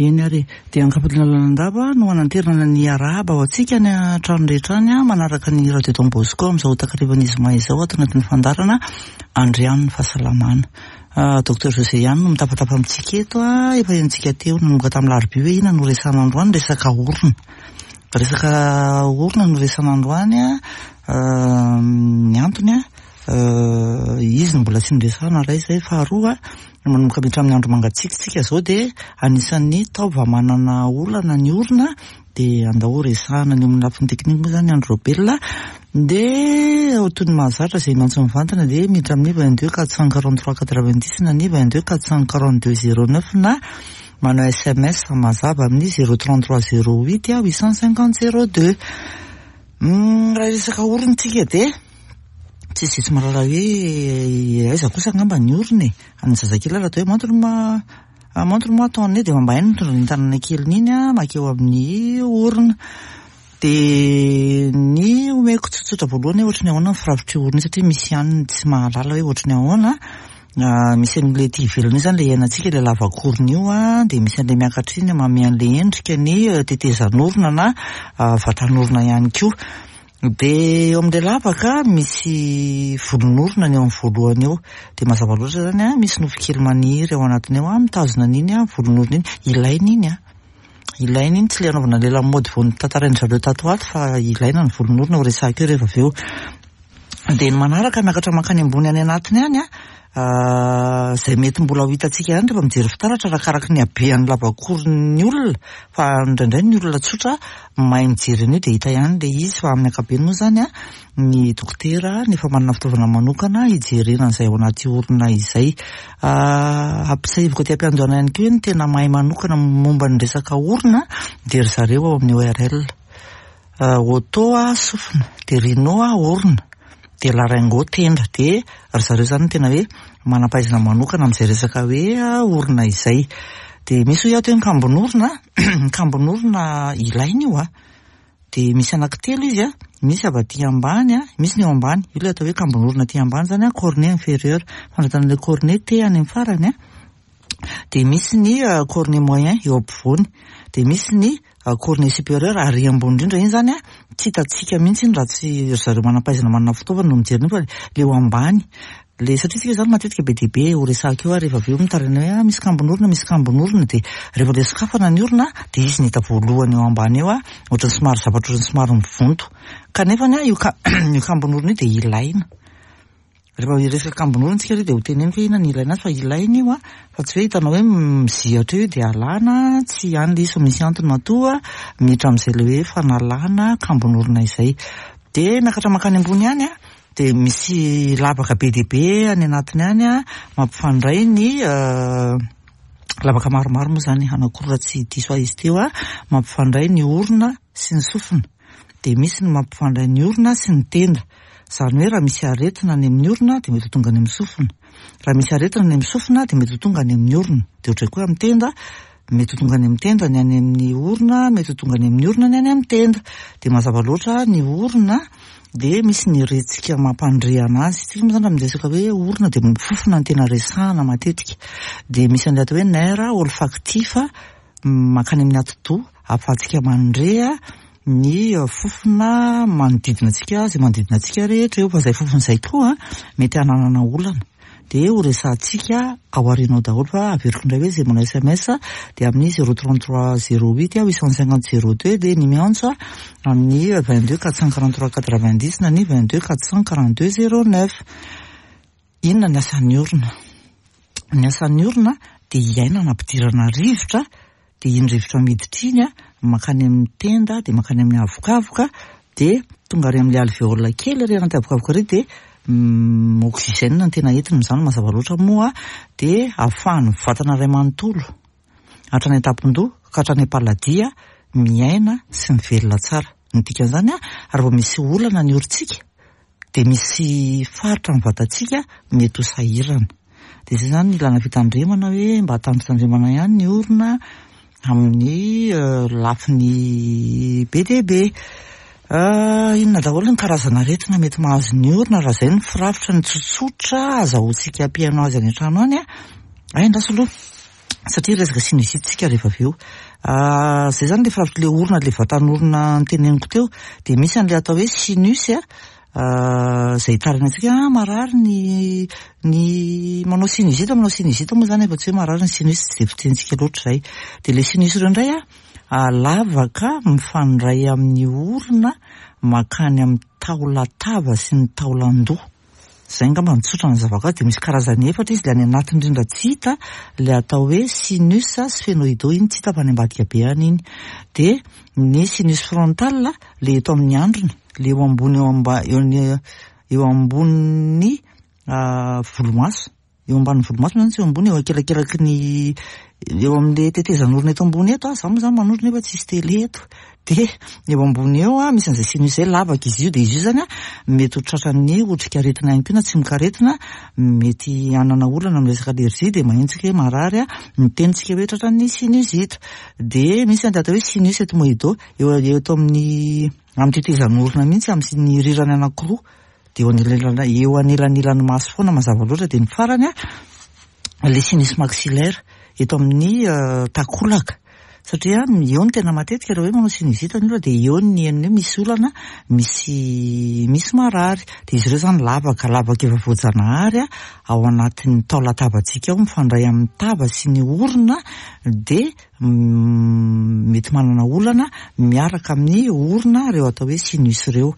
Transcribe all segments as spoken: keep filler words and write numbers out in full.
Eny ary e. Dia Ankapotry Lalandava no hananterana ny arahaba ho antsika any an-trano rehetra any manaraka ny Radio Don Bosco amin'izao takarivan'ny zoma izao ato anatin'ny fandaharana Andrian'ny fahasalamana. Docteur José ihany no mitafatafa amintsika eto, efa henontsika teo nanomboka tamin'ny alarobia hoe inona no resahana androany, resaka orona. Resaka orona no resahana androany, ny antony izy no mbola tsy niresahana raha izay. Faharoa, manomboka miditra amin'ny andro mangatsiaka isika izao dia anisan'ny taova manana olana ny orona, dia andao resahana ny eo amin'ny lafiny teknika moa izany Andry Raobelina. Dia toy ny mahazatra izay miantso mivantana dia miditra amin'ny vingt-deux quatre cent quarante-trois quatre-vingt-dix na ny vingt-deux quatre cent quarante-deux zéro neuf na manao S M S mazava amin'ny zéro trente-trois zéro huit huit cent cinquante zéro deux. Raha resaka orona isika dia tsisy tsy mahalala hoe aiza kosa angamba ny orona e. Ny zazakely raha atao hoe montre-moi, montre-moi ton nez dia mba hainy mitondra ny tanana keliny iny makeo amin'ny orona. Dia ny omeko tsotsotra voalohany hoe ohatry ny ahoana ny firafitry orona io, satria misy ihany ny tsy mahalala hoe ohatry ny ahoana. Misy an'ilay ety ivelany io izany ilay iainantsika, ilay lavakorona io, dia misy an'ilay miakatra iny manome an'ilay endrika ny tetezan'orona na vatan'orona ihany koa. Dia eo amin'ilay lavaka misy volon'orona ny eo amin'ny voalohany eo. Dia mazava loatra izany, misy nofo kely maniry ao anatiny ao, mitazona an'iny volon'orona iny. Ilaina iny, ilaina iny, tsy ilay anaovana ilay lamaody vao notantarain-dry zareo tato ato, fa ilaina ny volon'orona ho resahako eo rehefa avy eo. Dia ny manaraka miakatra mankany ambony any anatiny any, izay mety mbola ho hitantsika ihany rehefa mijery fitaratra arakaraka ny habean'ny lavakoron'ny olona, fa indraindray ny olona tsotra mahay mijery an'io dia hita ihany ilay izy, fa amin'ny ankapobeny moa izany ny dokotera nefa manana fitaovana manokana hijerena an'izay ao anaty orona izay. Ampisaiviko aty am-piandohana ihany koa ny tena mahay manokana momba ny resaka orona dia ry zareo ao amin'ny O R L. Oto sofina, dia rhino orona, dia laryngo tenda, dia ry zareo izany no tena hoe manam-pahaizana manokana amin'izay resaka hoe orona izay. Dia misy hoy aho hoe ny kambon'orona, ny kambon'orona ilaina io a. Dia misy anankitelo izy a, misy avy aty ambany a, misy ny eo ambany, io ilay atao hoe kambon'orona aty ambany izany a, cornet inférieur, fandraisana ilay cornet T any amin'ny farany a. Dia misy ny cornet moyen eo ampovoany, dia misy ny cornet supérieur ary ambony indrindra iny izany a, tsy hitantsika mihitsy iny raha tsy ry zareo manam-pahaizana manana fitaovana no mijery an'io, fa ilay eo ambany. Le satria tsika izany matetika be dia be ho resahako eo ary rehefa avy eo mitaraina hoe misy kambon'orona, misy kambon'orona, dia rehefa ilay sokafana ny orona dia izy ny hita voalohany eo ambany eo a, ohatran'ny somary zavatra ohatran'ny somary mivonto. Kanefa ny io ka-, io kambon'orona io dia ilaina. Rehefa hiresaka kambon'orona tsika dia ho teneniko hoe inona ny ilaina azy, fa ilaina io a, fa tsy hoe hitanao hoe mizihatra eo dia alana, tsy ihany ilay izy fa misy antony matoa miditra amin'izay ilay hoe fanalana kambon'orona izay. Dia miakatra mankany ambony ihany a, dia misy lavaka be dia be any anatiny any a, mampifandray ny lavaka maromaro moa izany, anankiroa raha tsy diso ahy izy teo a, mampifandray ny orona sy ny sofina. Dia misy ny mampifandray ny orona sy ny tenda. Izany hoe raha misy aretina any amin'ny orona dia mety ho tonga any amin'ny sofina. Raha misy aretina any amin'ny sofina dia mety ho tonga any amin'ny orona. Dia ohatray koa amin'ny tenda, mety ho tonga any amin'ny tenda ny any amin'ny orona, mety ho tonga any amin'ny orona ny any amin'ny tenda. Dia mazava loatra ny orona dia misy ny retsika mampandre anazy. Tsika moa izany raha miresaka hoe orona dia mifofona ny tena resahana matetika. Dia misy an'ilay atao hoe nerf olfactif mankany amin'ny atidoha ahafahantsika mandre ny fofona manodidina antsika, izay manodidina antsika rehetra eo. Fa izay fofona izay koa mety hananana olana. Dia ho resahantsika ao aoriana ao daholo, fa averiko indray hoe izay manao S M S dia amin'ny zéro trente-trois zéro huit huit cent cinquante zéro deux, dia ny miantso amin'ny vingt-deux quatre cent quarante-trois quatre-vingt-dix na ny vingt-deux quatre cent quarante-deux zéro neuf. Inona ny asan'ny orona? Ny asan'ny orona dia iainana ampidirana rivotra, dia iny rivotra miditra iny a, mankany amin'ny tenda, dia mankany amin'ny avokavoka, dia tonga ary amin'ilay alvéole kely ary anaty avokavoka ary dia oxygène no tena entiny izany mazava loatra moa, dia ahafahan'ny vatana iray manontolo hatrany an-tampon-doha ka hatrany am-paladia miaina sy mivelona tsara. Ny dikan'izany a, raha vao misy olana ny orontsika dia misy faritra amin'ny vatantsika mety ho sahirana. Dia izay izany ny ilana fitandremana hoe mba tandrotandremana ihany ny orona amin'ny lafiny be dia be. Inona daholo ny karazana aretina mety mahazo ny orona raha izay ny firafitra ny tsotsotra azahoantsika mpihaino azy any an-trano any a? Ay, andraso aloha. Satria resaka sinusite tsika rehefa avy eo. Zay zany le firafitry le orona, le vatan'orona noteneniko teo, dia misy an'le atao hoe sinus a, zay hitarina antsika marary ny ny manao sinusite, manao sinusite moa zany efa tsy hoe marary ny sinus, tsy de fitenitsika loatra zay. Dia le sinus ireo indray a, lavaka mifandray amin'ny orona makany amin'ny taolan-tava sy ny taolan-doha. Zay angamba no tsotra ny zavako azy. Dia misy karazany efatra izy, le any anatiny indrindra tsy hita, le atao hoe sinus sphénoïdaux, iny tsy hita fa any ambadika be any iny. Dia ny sinus frontal, le eto amin'ny andrina, le eo ambony, eo amba, eo ny, eo ambonin'ny volomaso, eo ambanin'ny volomaso moa zany, tsy eo ambony, eo akelakelaky ny eo amin'le tetezan'orona eto ambony eto. Za moa zany manondro nefa tsisy télé eto. Dia eo ambony eo a misy an'izay sinus zay, lavaka izy io. Dia izy io zany a mety ho tratran'ny otrikaretina ihany koa na tsimokaretina, mety hanana olana amin'ny resaka allergie, dia maheno tsika hoe marary a, miteny tsika hoe tratran'ny sinusite. Dia misy an'ilay atao hoe sinus ethmoïdaux, eo eto amin'ny amin'ny tetezan'orona mihitsy, amin'ny rirany anankiroa, dia eo anelanelan-, eo anelanelan'ny maso foana mazava loatra. Dia ny farany a, le sinus maxillaire eto amin'ny takolaka, satria eo no tena matetika raha hoe manao sinusite ny olona, dia eo ny henony hoe misy olana, misy misy marary. Dia izy ireo zany lavaka, lavaka efa voajanahary a, ao anatin'ny taolan-tavantsika ao, mifandray amin'ny tava sy ny orona, dia mety manana olana miaraka amin'ny orona ireo atao hoe sinus ireo.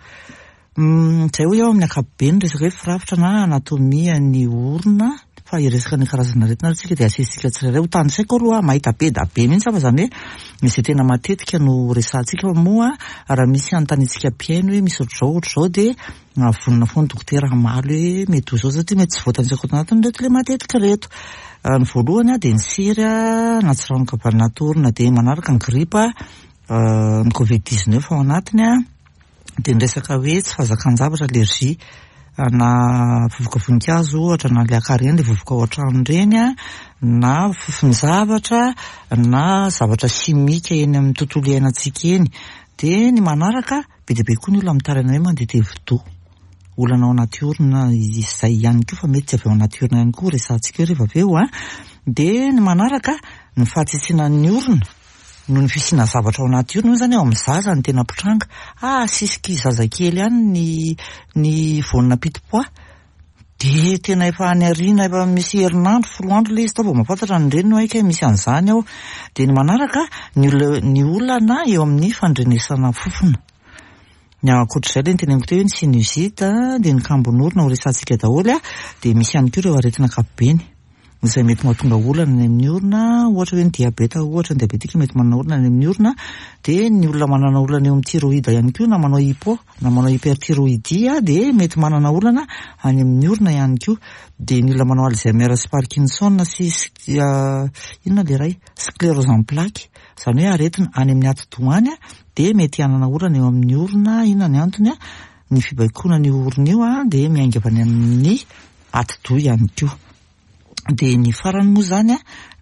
Zay hoy aho amin'ny ankapobeny resaka hoe firafitra na anatomia ny orona, fa hiresaka ny karazana aretina ary tsika dia asesitsika tsirairay. Ho tanisaiko aloha, mahita be da be mihitsy fa zany hoe izay tena matetika no resahantsika, fa moa raha misy anontaniantsika mpihaino hoe misy ohatr'izao ohatr'izao, dia vonona foana dokotera hamaly hoe mety ho izao, satria mety tsy voatanisako ato anatiny reto le matetika reto. Ny voalohany a dia ny sery a, na tsiranoka avy anaty orona, dia manaraka ny gripa, ny covid dix-neuf ao anatiny a, dia ny resaka hoe tsy fahazakan-javatra, allergie na vovoka voninkazo ohatra, na le acarien, le vovoka ao an-trano ireny a, na fofon-javatra, na zavatra simika eny amin'ny tontolo iainantsika eny. Dia ny manaraka, be dia be koa ny olona mitaraina hoe mandeha tevi-doha, olana ao anaty orona izay ihany koa, fa mety tsy avy ao anaty orona ihany koa, resahantsika eo rehefa avy eo a. Dia ny manaraka, ny fahatsitsinan'ny orona noho ny fisiana zavatra ao anaty orona io zany, eo amin'ny zaza ny tena mpitranga. Ah, sisiky zazakely ihany ny ny voanina pitipoa, dia tena efa any aoriana, efa misy herinandro, folo andro ilay izy tao vao mahafantatra ny reniny hoe kay misy an'izany ao. Dia ny manaraka, ny olona, ny olana eo amin'ny fandrenesana fofona. Ny ankoatr'izay le niteneniko teo hoe ny sinusite, dia ny kambon'orona ho resahantsika daholo a, dia misy ihany koa ireo aretina ankapobeny izay mety mahatonga olana any amin'ny orona, ohatra hoe ny diabeta, ohatra ny diabetika mety manana olana any amin'ny orona. Dia ny olona manana olana eo amin'ny thyroïde ihany koa, na manao hypo na manao hyperthyroïdie, dia mety manana olana any amin'ny orona ihany koa. Dia ny olona manao Alzheimer sy Parkinson sy inona le iray, sclérose en plaques, zany hoe aretina any amin'ny atidoha any, dia mety hanana olana eo amin'ny orona. Inona ny antony a? Ny fibaikoana ny orona io a dia miainga avy any amin'ny atidoha ihany koa. Dia ny farany moa zany a,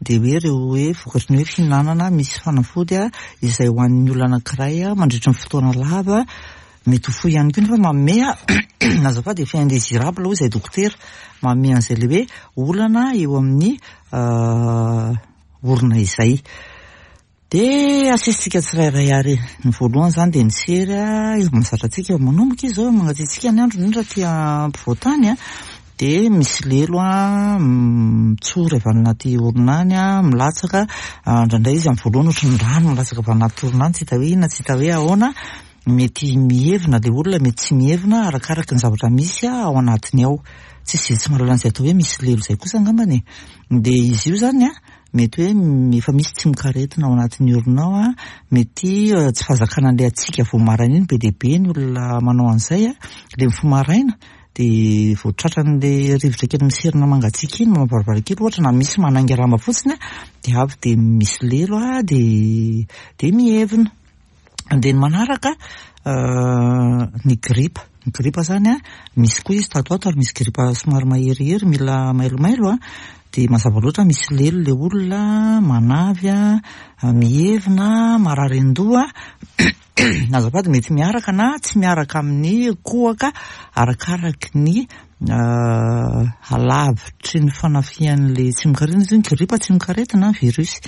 dia hoe ireo hoe vokatry ny hoe fihinanana misy fanafody a, izay ho an'ny olona anankiray a mandritra ny fotoana lava, mety ho fohy ihany koa, nefa manome a, azafady, effet indésirable hoy izay dokotera, manome an'izay le hoe olana eo amin'ny orona izay. Dia asesitsika tsirairay ary. Ny voalohany zany dia ny sery a, efa mahazatra antsika, manomboka izy zao mangatsiatsiaka ny andro, indrindra aty ampovoantany a, dia misy lelo a mitsory avy any anaty orona any a, milatsaka indraindray izy amin'ny voalohany ohatry ny rano milatsaka avy anaty orona any, tsy hita hoe inona, tsy hita hoe ahoana, mety mihevina le olona, mety tsy mihevina, arakaraka ny zavatra misy a ao anatiny ao. Tsisy izay tsy mahalala an'izay atao hoe misy lelo izay kosa angambany e. Dia izy io zany a mety hoe efa misy tsimokaretina ao anatin'ny orona ao a, mety tsy fahazakana an'ilay hatsiaka vao maraina iny, be dia be ny olona manao an'izay a, le mifoha maraina dia vao tratran'ilay rivotra kely miserina mangatsiaka iny, manao varavarankely ohatra, na misy manainga lamba fotsiny a, dia avy dia misy lelo a, dia dia mihevina. Dia ny manaraka, ny gripa. Ny gripa zany a, misy koa izy tato ato, ary misy gripa somary maherihery, mila mailomailo a, dia mazava loatra misy lelo le olona, manavy a, mihevina, marary an-doha. Azafady, mety miaraka na tsy miaraka amin'ny kohaka, arakaraky ny halavitry ny fanafihan'le tsimokaretina izy io. Ny gripa tsimokaretina, virus.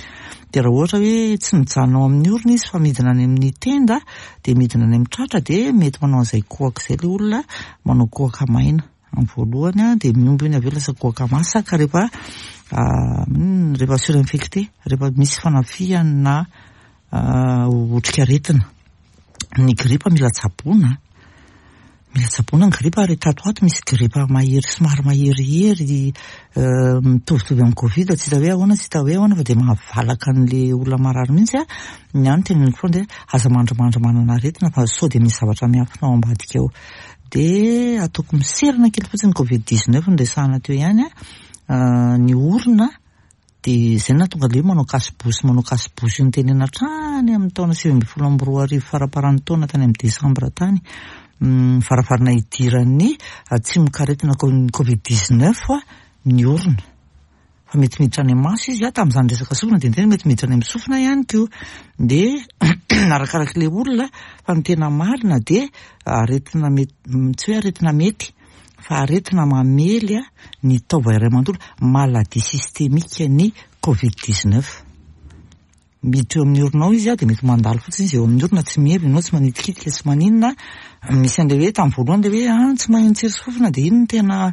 Dia raha ohatra hoe tsy mijanona ao amin'ny orona izy fa midina any amin'ny tenda, dia midina any amin'ny tratra, dia mety manao an'izay kohaka izay ilay olona, manao kohaka maina amin'ny voalohany, dia miombo iny avy eo lasa kohaka masaka rehefa rehefa surinfecté, rehefa misy fanafihana otrikaretina. Ny gripa mila tsaboina, mila tsaboina ny gripa, ary tato ato misy gripa mahery, somary maherihery, mitovitovy amin'ny Covid, tsy hita hoe ahoana, tsy hita hoe ahoana, fa dia mahavalaka an'le olona marary mihitsy. A ny any teneniko foana dia aza mandrimandry manana aretina fa sao dia misy zavatra miafina ao ambadika ao. Dia ataoko miserana kely fotsiny Covid dix-neuf no resahana teo ihany. A ny orona dia izay nahatonga le hoe manao cache-bouche, manao cache-bouche io nitenena hatrany amin'ny taona sivy ambin'ny folo amby roa arivo, faramparan'ny taona, tany amin'ny desambra tany, varavarana hidiran'ny tsimokaretina Covid dix-neuf ny orona, fa mety miditra any amin'ny maso izy. A tamin'izany resaka sofina dia niteny mety miditra any amin'ny sofina ihany koa, dia arakarak'ilay ilay olona. Fa ny tena marina dia aretina mety, tsy hoe aretina mety, fa aretina mamely a ny taova iray manontolo, maladie systémique ny Covid dix-neuf. Miditra eo amin'ny orona ao izy a dia mety mandalo fotsiny izy eo amin'ny orona, tsy mihevina ianao, tsy manitikitika, tsy maninona. Misy an'ilay hoe tamin'ny voalohany ilay hoe ah tsy maheno tsiro sy fofona, dia iny no tena,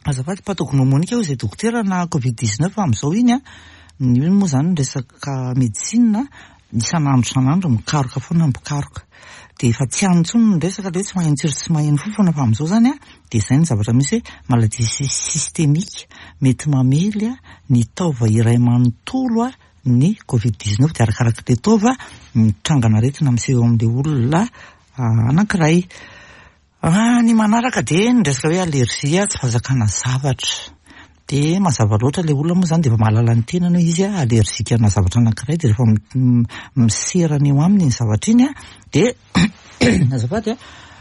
azafady, pathognomonique hoy izay dokotera na Covid dix-neuf amin'izao iny. A io moa zany resaka médecine, isan'andro isan'andro mikaroka foana mpikaroka, dia efa tsy any intsony ny resaka le hoe tsy maheno tsiro sy tsy maheno fofona, fa amin'izao zany a dia izay ny zavatra misy hoe maladie systémique, mety mamely a ny taova iray manontolo a ny Covid dix-neuf. Dia arakarak'ilay taova mitrangana aretina miseho amin'ilay olona anankiray. Ny manaraka dia ny resaka hoe allergie, tsy fahazakana zavatra. Dia mazava loatra, ilay olona moa zany dia efa mahalala ny tenany hoe izy a allergique na zavatra anankiray, dia rehefa miserana eo aminy iny zavatra iny a dia, azafady,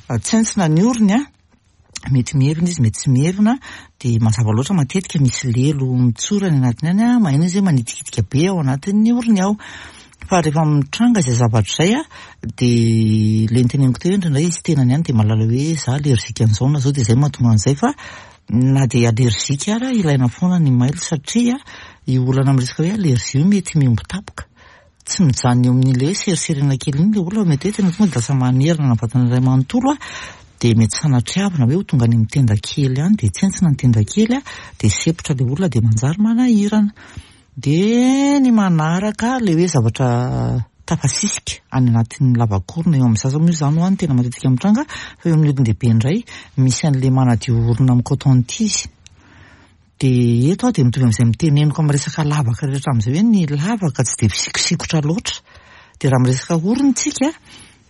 a tsentsina ny orony, a mety mihevina izy, mety tsy mihevina. Dia mazava loatra, matetika misy lelo mitsorany anatiny any, a maheno izy hoe manitikitika be ao anatin'ny orony ao. Fa rehefa mitranga izay zavatra izay a dia le niteneniko teo, indraindray izy tenany ihany dia mahalala hoe za allergique an'izao na zao, dia izay mahatonga an'izay. Fa na dia allergique ara, ilaina foana ny mailo, satria io olana amin'ny resaka hoe allergie io mety mihombo tapoka, tsy mijanona eo amin'ilay hoe seriserena kely iny le olona, mety hoe tena tonga dia lasa manerana ny vatana iray manontolo, a dia mety sanatriavina hoe ho tonga any amin'ny tenda kely any, dia tsentsina ny tenda kely, a dia sepotra le olona, dia manjary manahirana. Dia ny manaraka, le hoe zavatra tafasisika any anatin'ny lavakorona eo amin'ny zaza moa izany ho any tena matetika mitranga, fa eo amin'ny olon-dehibe indray misy an'le manadio orona amin'ny coton tige. Dia eto aho dia mitovy amin'izay miteneniko amin'ny resaka lavaka rehetra amin'izay hoe ny lavaka tsy dia fisikosikotra loatra. Dia raha miresaka orona tsika,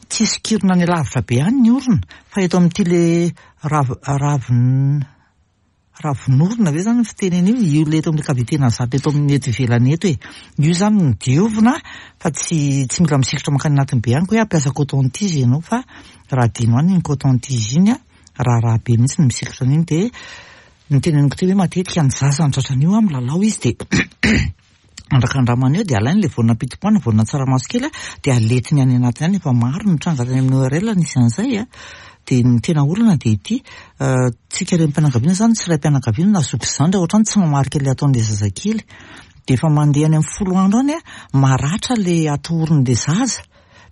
tsy sokirina any lavitra be any ny orona, fa eto amin'ity le rav ravin ravin'orona ve zany ny fitenena io, io le eto amin'ny cavité nasale, eto amin'ny eto ivelany eto e, io zany no diovina, fa tsy tsy mila misikotra mankany anatiny be any koa hoe hampiasa coton tige ianao, fa raha adino any iny coton tige iny, a raharaha be mihitsy ny misikotra an'iny. Dia ny teneniko teo hoe matetika ny zaza ny tratran'io a milalao izy, dia andrakandramana eo, dia alainy le voanina pitipoana, voanina tsaramaso kely, a dia aletiny any anatiny any. Efa maro ny tranga tany amin'ny O R L nisy an'izay. A dia ny tena olana dia ity: tsika renim-pianakaviana zany, tsy ray-pianakaviana na zoky zandry, ohatrany tsy mamarika le ataon'le zazakely, dia efa mandeha any amin'ny folo andro any, a maratra le atoron'le zaza,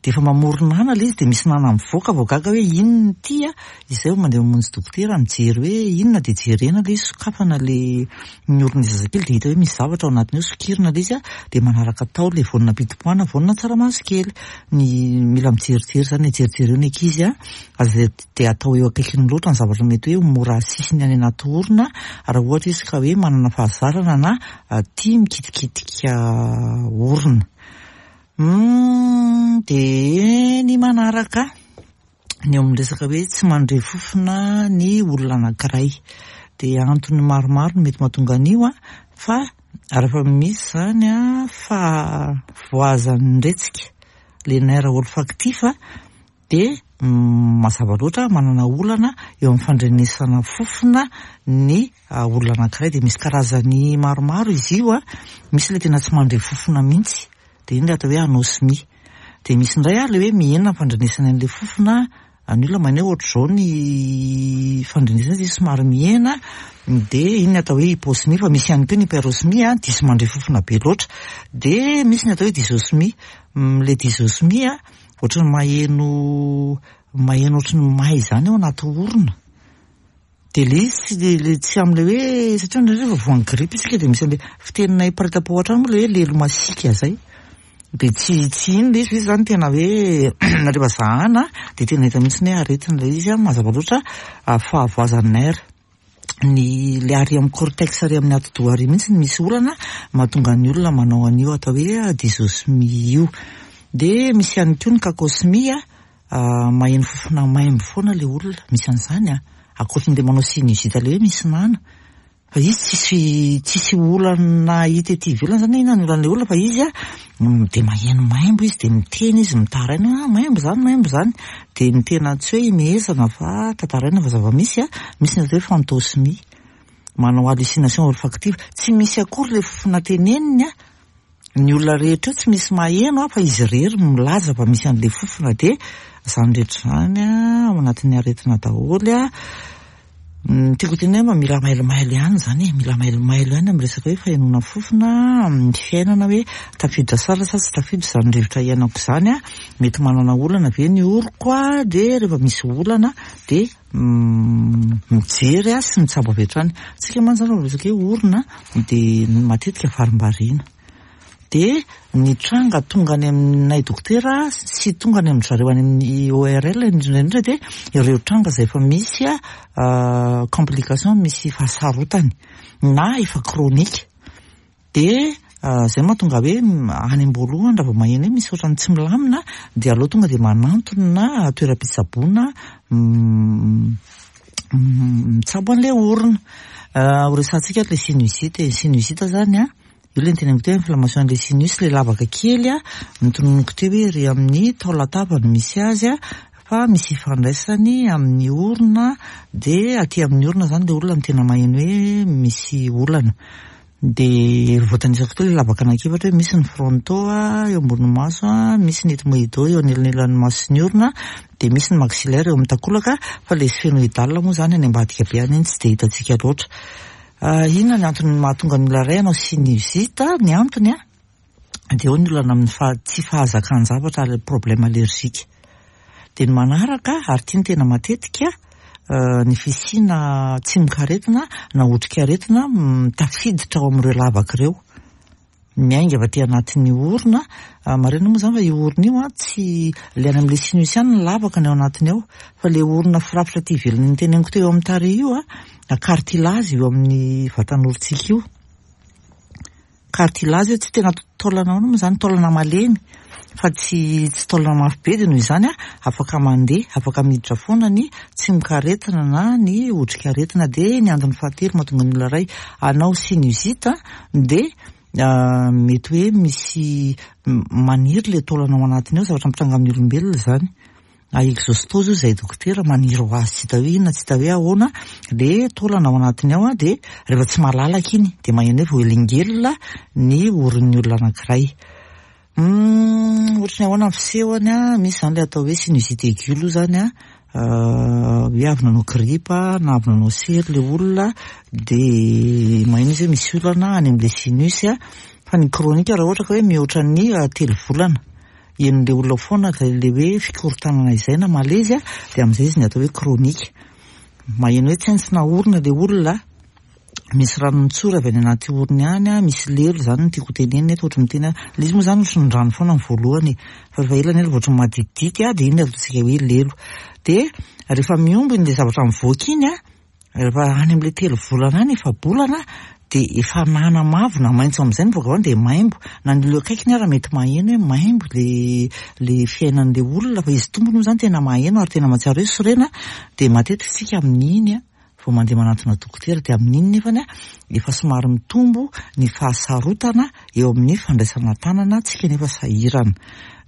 dia efa mamoronana le izy, dia misy nana mivoaka, vao gaga hoe inona ity. A izay vao mandeha mamonjy dokotera mijery hoe inona, dia jerena le izy, sokafana le ny oron'ny zazakely, dia hita hoe misy zavatra ao anatiny eo, sokirina le izy, a dia manaraka tao le voanina pitipoana, voanina tsaramaso kely. Ny mila mijerijery zany, jerijereo ny ankizy, a aza dia atao eo akaikiny loatra ny zavatra mety hoe mora asisiny any anaty orona, raha ohatra izy ka hoe manana fahazarana na tia mikitikitika orona. Dia ny manaraka, ny eo amin'ny resaka hoe tsy mandre fofona ny olona anankiray, dia antony maromaro no mety mahatonga an'io. A fa rehefa misy zany a fahavoazan'ny retsika, le nerf olfactif, dia mazava loatra manana olana eo amin'ny fandrenesana fofona ny olona anankiray. Dia misy karazany maromaro izy io. A misy le tena tsy mandre fofona mihitsy, dia iny le atao hoe anosmie. Dia misy indray a le hoe mihena ny fandrenesana an'ilay fofona, ny olona maheno hoe ohatr'izao ny fandrenesana izy somary mihena, dia iny ny atao hoe hyposmie. Fa misy ihany koa ny hyperosmie, diso mandre fofona be loatra. Dia misy ny atao hoe dysosmie. Le dysosmie a, ohatran'ny maheno maheno ohatran'ny may izany ao anaty orona. Dia le izy tsy le tsy amin'ilay hoe, satria indraindray rehefa voan'ny grippe isika dia misy an'ilay fiteninay mpiray-tampo hatrany moa le hoe lelo masiaka zay. Dia tsy tsy iny le izy fa izy zany tena hoe rehefa zahana dia tena hita mihitsy hoe aretina ilay izy, mazava loatra fahavoazan'ny nerf. Ny le ary amin'ny cortex ary amin'ny atidoha ary mihitsy no misy olana mahatonga ny olona manao an'io atao hoe dysosmie io. Dia misy ihany koa ny cacosmie, maheno fofona maimbo foana le olona, misy an'izany a, ankoatran'ilay manao sinusite le hoe misy nana. Fa izy tsisy tsisy olana hita ety ivelany zany hoe inona ny olan'ilay olona, fa izy a dia maheno maimbo izy, dia miteny izy, mitaraina hoe ah maimbo zany, maimbo zany. Dia ny tena tsy hoe imehezana fa tantaraina fa zava-misy a, misy ny atao hoe phantosmie, manao hallucination olfactive, tsy misy akory le fofona teneniny a, ny olona rehetra eo tsy misy maheno a, fa izy irery no milaza fa misy an'ilay fofona. Dia izany rehetra izany a ao anatin'ny aretina daholo a. Ny tiako tenenina mba mila mailomailo ihany izany e, mila mailomailo ihany amin'ny resaka hoe fahenoana fofona amin'ny fiainana, hoe tafiditra sara sa tsy tafiditra izany rivotra iainako izany a, mety manana olana ve ny oroko a, dia rehefa misy olana dia mijery a sy mitsabo avy hatrany. Tsika mantsy zany rehefa resaka hoe orona dia matetika varimbariana. Dia ny tranga tonga any aminay dokotera sy tonga any amin-dry zareo any amin'ny O R L indrindra indrindra dia ireo tranga izay efa misy a complication, misy fahasarotany na efa chronique. Dia izay mahatonga hoe any am-boalohany raha vao maheno hoe misy ohatran'ny tsy milamina dia aleo tonga dia manantona toeram-pitsaboana mitsabo an'ilay orona. Ho resahantsika ilay sinusite. Sinusite zany a, io ilay niteneniko teo, inflammation an'ilay sinus, ilay lavaka kely a, notononiko teo hoe ery amin'ny taolan-tava no misy azy a, fa misy ifandraisany amin'ny orona, dia aty amin'ny orona zany ilay olona no tena maheno hoe misy olana. Dia voatanisako teo ilay lavaka anankiefatra hoe misy ny fronto a, eo ambonin'ny maso a, misy ny ethmoïdo eo anelanelan'ny maso sy ny orona, dia misy ny maxillaire eo amin'ny takolaka, fa ilay sphénoïdal moa zany any ambadika be any iny tsy dia hitantsika loatra. Inona ny antony mahatonga ny olona iray hanao sinusite? Ny antony a, dia eo ny olana amin'ny faha-, tsy fahazakan-javatra, ilay problème allergique. Dia ny manaraka, ary ity no tena matetika, ny fisiana tsimokaretina na otrikaretina tafiditra ao amin'ireo lavaka ireo. Miainga avy aty anatin'ny orona, marina moa zany fa io orona io a, tsy le any amin'ilay sinus ihany ny lavaka ny ao anatiny ao, fa le orona firafitra aty ivelany niteneniko teo amin'ny tarehy io a, cartilage io amin'ny vatan'orontsika io. Cartilage io tsy tena taolana ahoana moa zany, taolana malemy fa tsy, tsy taolana mafy be, dia noho izany a, afaka mandeha, afaka miditra foana ny tsimokaretina na ny otrikaretina. Dia ny antony fahatelo mahatonga ny olona iray hanao sinusite dia mety hoe misy maniry le taolana ao anatiny ao, zavatra mitranga amin'ny olombelona izany. Exostose io izay dokotera, maniry ho azy tsy hita hoe inona, tsy hita hoe ahoana le taolana ao anatiny ao, dia rehefa tsy malalaka iny dia maheno hoe voahelingelina ny oron'ny olona anankiray. Ohatry ny ahoana ny fisehony a, misy izany le atao hoe sinusite aiguë aloha izany a, hoe avy nanao grippe na avy nanao sery le olona dia maheno izy hoe misy olana any amin'ilay sinus a. Fa ny chronique raha ohatra ka hoe mihoatra ny telo volana henon'ilay olona foana ilay hoe fikorontanana izay na malaise a, dia amin'izay izy ny atao hoe chronique. Maheno hoe tsentsina orona ilay olona, misy rano mitsory avy any anaty orony any a, misy lelo zany no tiako tenenina eto, ohatry ny miteny aho, ilay izy moa zany ohatry ny rano foana ny voalohany, fa rehefa ela ny ela vao ohatry ny maditidity a, dia iny no ataontsika hoe lelo. Dia rehefa mihombo iny ilay zavatra mivoaka iny a, rehefa any amin'ilay telo volana any, efa-bolana, dia efa nana mavo na maitso amin'izay ny voaka avy any dia maimbo. Na ny olona akaikiny ara mety maheno hoe maimbo le, le fiainan'ilay olona, fa izy tompony moa zany tena maheno ary tena mahatsiaro hoe sorena. Dia matetika isika amin'iny a, vao mandeha manantona dokotera, dia amin'iny nefany a, efa somary mitombo ny fahasarotana eo amin'ny fandraisana tanana, tsika nefa sahirana.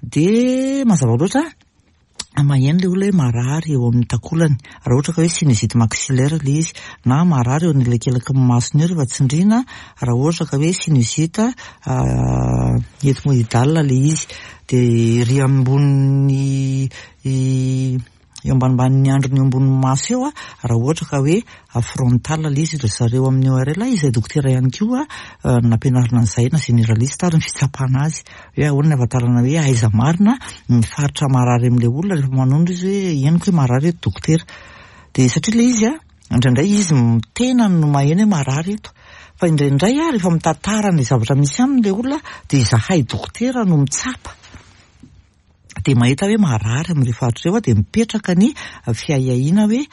Dia mazava loatra Maheno ilay olona hoe marary eo amin'ny takolany, raha ohatra ka hoe sinusite maxillaire ilay izy, na marary eo anelakelaky ny masony eo rehefa tsindriana, raha ohatra ka hoe sinusite ethmoidale ilay izy. Dia ery ambonin'ny eo ambanimbanin'ny andriny eo ambonin'ny maso eo, raha ohatra ka hoe frontal ilay izy. Ry zareo amin'ny O R L izay dokotera ihany koa nampianarina an'izay, na généraliste ary ny fitsapana azy hoe ahoana ny ahafantarana hoe aiza marina ny faritra marary amin'ilay olona rehefa manondro izy hoe henoko hoe marary eto, dokotera. Dia satria ilay izy a, indraindray izy tenany no maheno hoe marary eto, fa indraindray a, rehefa mitantara ny zavatra misy aminy ilay olona, dia izahay dokotera no mitsapa dia mahita hoe marary amin'ireo faritra ireo, dia mipetraka ny fiahiahiana hoe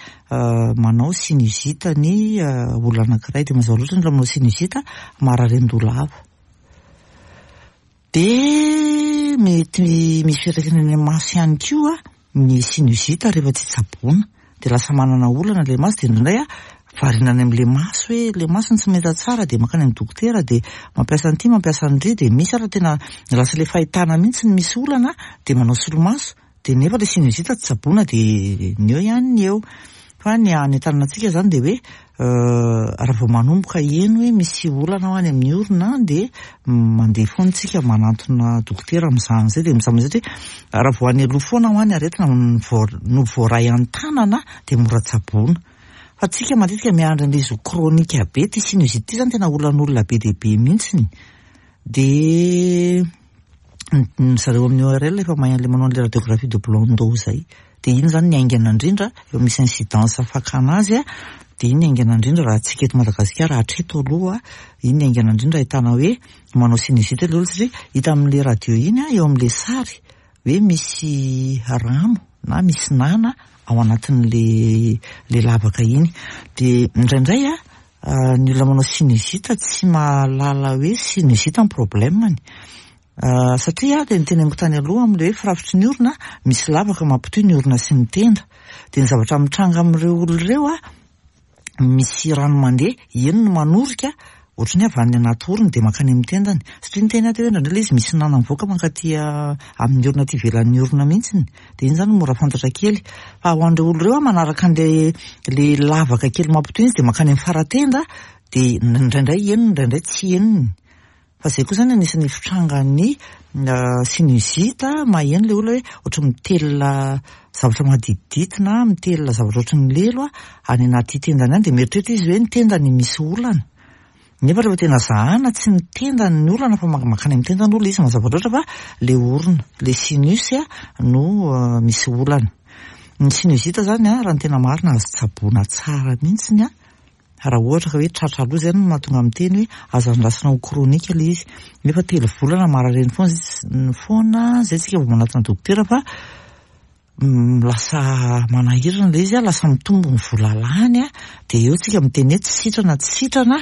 manao sinusite ny olona anankiray. Dia mazava loatra ny olona manao sinusite marary an-doha lava. Dia mety misy fiantraikany any amin'ny maso ihany koa ny sinusite rehefa tsy tsaboina, dia lasa manana olana ilay maso. Dia indraindray a, variana any amin'ilay maso hoe ilay maso no tsy mahita tsara, dia mankany amin'ny dokotera, dia mampiasa an'ity, mampiasa an'indry, dia misy ary tena lasa ilay fahitana mihitsy ny misy olana, dia manao solomaso, dia nefa ilay sinusite tsy tsaboina, dia ny eo ihany ny eo. Fa ny anentanana antsika zany dia hoe raha vao manomboka heno hoe misy olana ao any amin'ny orona, dia mandeha foana tsika manantona dokotera mizaha an'izay. Dia mizaha satria raha vao any aloha foana ho any aretina no voaray an-tanana, dia mora tsaboina. Fa tsika matetika miandry an'ilay izy ho chronique be. Ty sinusite ty zany tena olan'olona be dia be mihitsiny. Dia ny zareo amin'ny O R L efa mahay an'ilay manao an'ilay radiographie de Blondeau zay, dia iny zany ny haingana indrindra efa misy incidence fakana azy a, dia iny ny haingana indrindra raha tsika eto Madagasikara hatreto aloha. Iny ny haingana indrindra ahitana hoe manao sinusite ilay olona, satria hita amin'ilay radio iny a, eo amin'ilay sary, hoe misy rano na misy nana ao anatin'le le lavaka iny. Dia indraindray a, ny olona manao sinusite tsy mahalala hoe sinusite ny problemany, satria dia niteneniko tany aloha amin'le hoe firafitry ny orona, misy lavaka mampitohy ny orona sy ny tenda. Dia ny zavatra mitranga amin'ireo olona ireo a, misy rano mandeha eny no manorika ohatrany hoe avy any anaty orona, dia mankany amin'ny tendany, satria ny tena teo indraindray ilay izy misy nana mivoaka mankaty amin'ny orona aty ivelan'ny orona mihitsiny. Dia iny zany mora fantatra kely. Fa ho an'ireo olona ireo a, manaraka an'le le lavaka kely mampitohy izy, dia mankany amin'ny faratenda, dia indraindray henony, indraindray tsy henony. Fa zay koa zany anisan'ny fitrangan'ny sinusite, maheno ilay olona hoe ohatry mitelina zavatra maditidity na mitelina zavatra ohatry ny lelo a any anaty tendany any, dia mieritreritra izy hoe ny tendany misy olana, nefa rehefa tena zahana, tsy ny tendany ny olana, fa mankany amin'ny tendany olona izy mazava loatra, fa le orona, le sinus a no misy olana. Ny sinusite zany a, raha ny tena marina, azo tsaboina tsara mihitsiny a, raha ohatra ka hoe tratra aloha. Zay no mahatonga amin'ny teny hoe azo andrasana ho chronique ilay izy, nefa telo volana marary eny foana foana zay tsika vao manatona dokotera, fa lasa manahirana ilay izy a, lasa mitombo ny vola lany a, dia eo tsika miteny hoe tsy sitrana, tsy sitrana,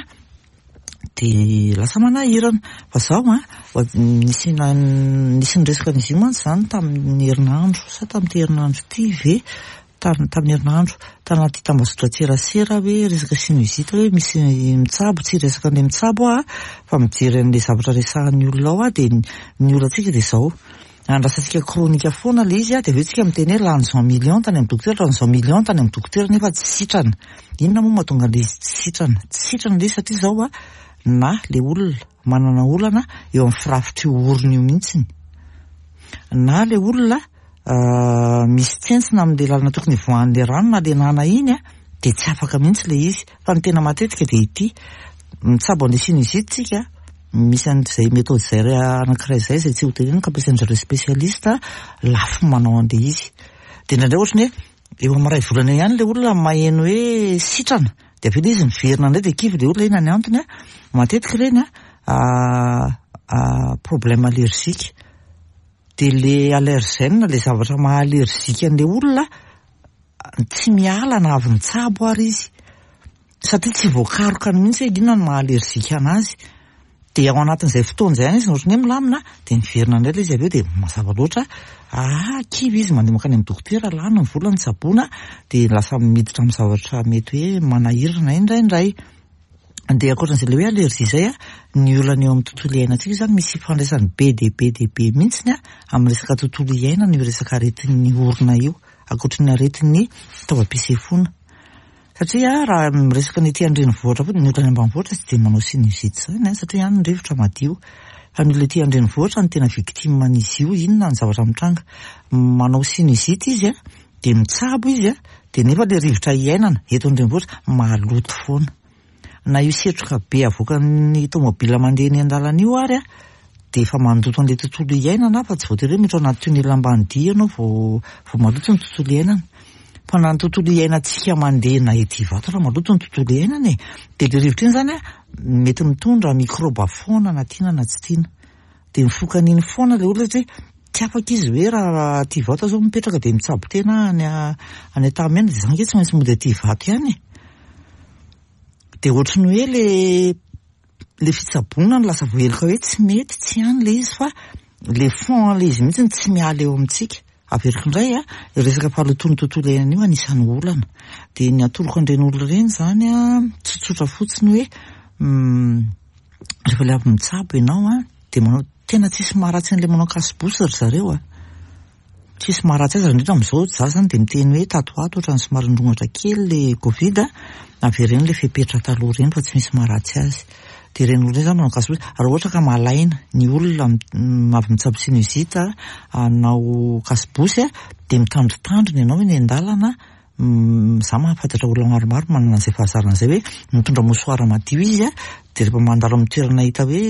dia lasa manahirana. Fa zao a, nisy nisy niresaka an'izy io mantsy zany tamin'ny herinandro sa tamin'ity herinandro ity ve, tamin'ny herinandro tanaty tambazotran-tserasera, hoe resaka sinusite, hoe misy mitsabo. Tsy resaka an'ilay mitsabo a, fa mijery an'ilay zavatra resahan'ny olona ao a. Dia ny olantsika dia zao, andrasantsika chronique foana ilay izy a, dia avy eo tsika miteny hoe lany zao million tany amin'ny dokotera, lany zao million tany amin'ny dokotera, nefa tsy sitrana. Inona moa mahatonga an'ilay izy tsy sitrana? Tsy sitrana ilay izy satria zao a, na le olona manana olana eo amin'ny firafitry io orona io mihitsiny, na le olona misy tsentsina amin'le lalana tokony hivoahan'le rano na le nana iny a, dia tsy afaka mihitsy le izy. Fa ny tena matetika dia ity mitsabo an'le sinusite tsika, misy an'izay méthode zay anankiray zay, zay tsy ho teneniko, ampiasain-jareo spécialiste, lafo manao an'le izy. Dia indraindray ohatrany hoe eo amin'ny ray volana ihany le olona maheno hoe sitrana, dia avy eo le izy miverina indray, dia kivy le olona. Inona ny antony a? Matetika ireny a, problème allergique, dia le allergène, le zavatra maha allergique an'le olona, tsy miala na avy nitsabo ary izy, satria tsy voakarokany mihitsy hoe inona no maha allergique anazy. Dia ao anatin'izay fotoana izay ihany izy ohatrany hoe milamina, dia miverina indray ilay izy avy eo. Dia mazava loatra, ah, kivy izy, mandeha mankany amin'ny dokotera, lany ny vola nitsaboana, dia lasa miditra amin'ny zavatra mety hoe manahirana indraindray. Dia ankoatran'izay ilay hoe allergie izay a, ny olana eo amin'ny tontolo iainantsika io izany misy ifandraisany be dia be dia be mihitsiny a amin'ny resaka tontolo iainana io resaka aretin'ny orona io, ankoatry ny aretin'ny taovam-pisefoana. Satria raha miresaka ny ety an-drenivohitra fotsiny, ny olona any ambanivohitra tsy dia manao sinusite izany a, satria any ny rivotra madio. Fa ny olona ety an-drenivohitra no tena victime an'izy io, inona ny zavatra mitranga? Manao sinusite izy a, dia mitsabo izy a, dia nefa ilay rivotra iainana eto an-drenivohitra maloto foana. Na io setroka be avoakan'ny tomobila mandeha eny an-dalana io ary a, dia efa mandoto an'ilay tontolo iainana, fa tsy voatery hoe miditra ao anaty tunnel ambany dia ianao vao vao maloto ny tontolo iainana. Fa na ny tontolo iainantsika mandeha na ety Ivato raha maloto ny tontolo iainana e, dia ilay rivotra iny izany a, mety mitondra mikraoba foana na tiana na tsy tiana. Dia mifoka an'iny foana ilay olona satria tsy afaka izy hoe raha aty Ivato aho izao mipetraka dia mitsabo tena any any Antanimena, dia izany ange tsy maintsy mody aty Ivato ihany e. Dia ohatry ny hoe le le fitsaboana no lasa voaheloka hoe tsy mety, tsy any ilay izy fa le fond an'ilay izy mihitsy no tsy miala eo amintsika. Averiko indray a, resaka fahalotoan'ny tontolo iainana io anisan'ny olana. Dia ny atoroko an'ireny olona ireny izany a, tsotsotra fotsiny hoe rehefa ilay avy mitsabo ianao a, dia manao tena tsisy maharatsy an'ilay manao casse-bouche ry zareo a. Tsisy maharatsy azy, indrindra amin'izao za zany dia miteny hoe tato ho ato ohatran'ny somary nirongatra kely ilay Covid a, avereno ilay fepetra taloha ireny fa tsy misy maharatsy azy. Dia ireny olona ireny zany manao casse-bouche, raha ohatra ka malaina ny olona avy mitsabo sinusite hanao casse-bouche a, dia mitandritandrina ianao eny an-dalana. Za mahafantatra olona maromaro manana an'izay fahazarana izay hoe mitondra mouchoir madio izy a, dia rehefa mandalo amin'ny toerana hita hoe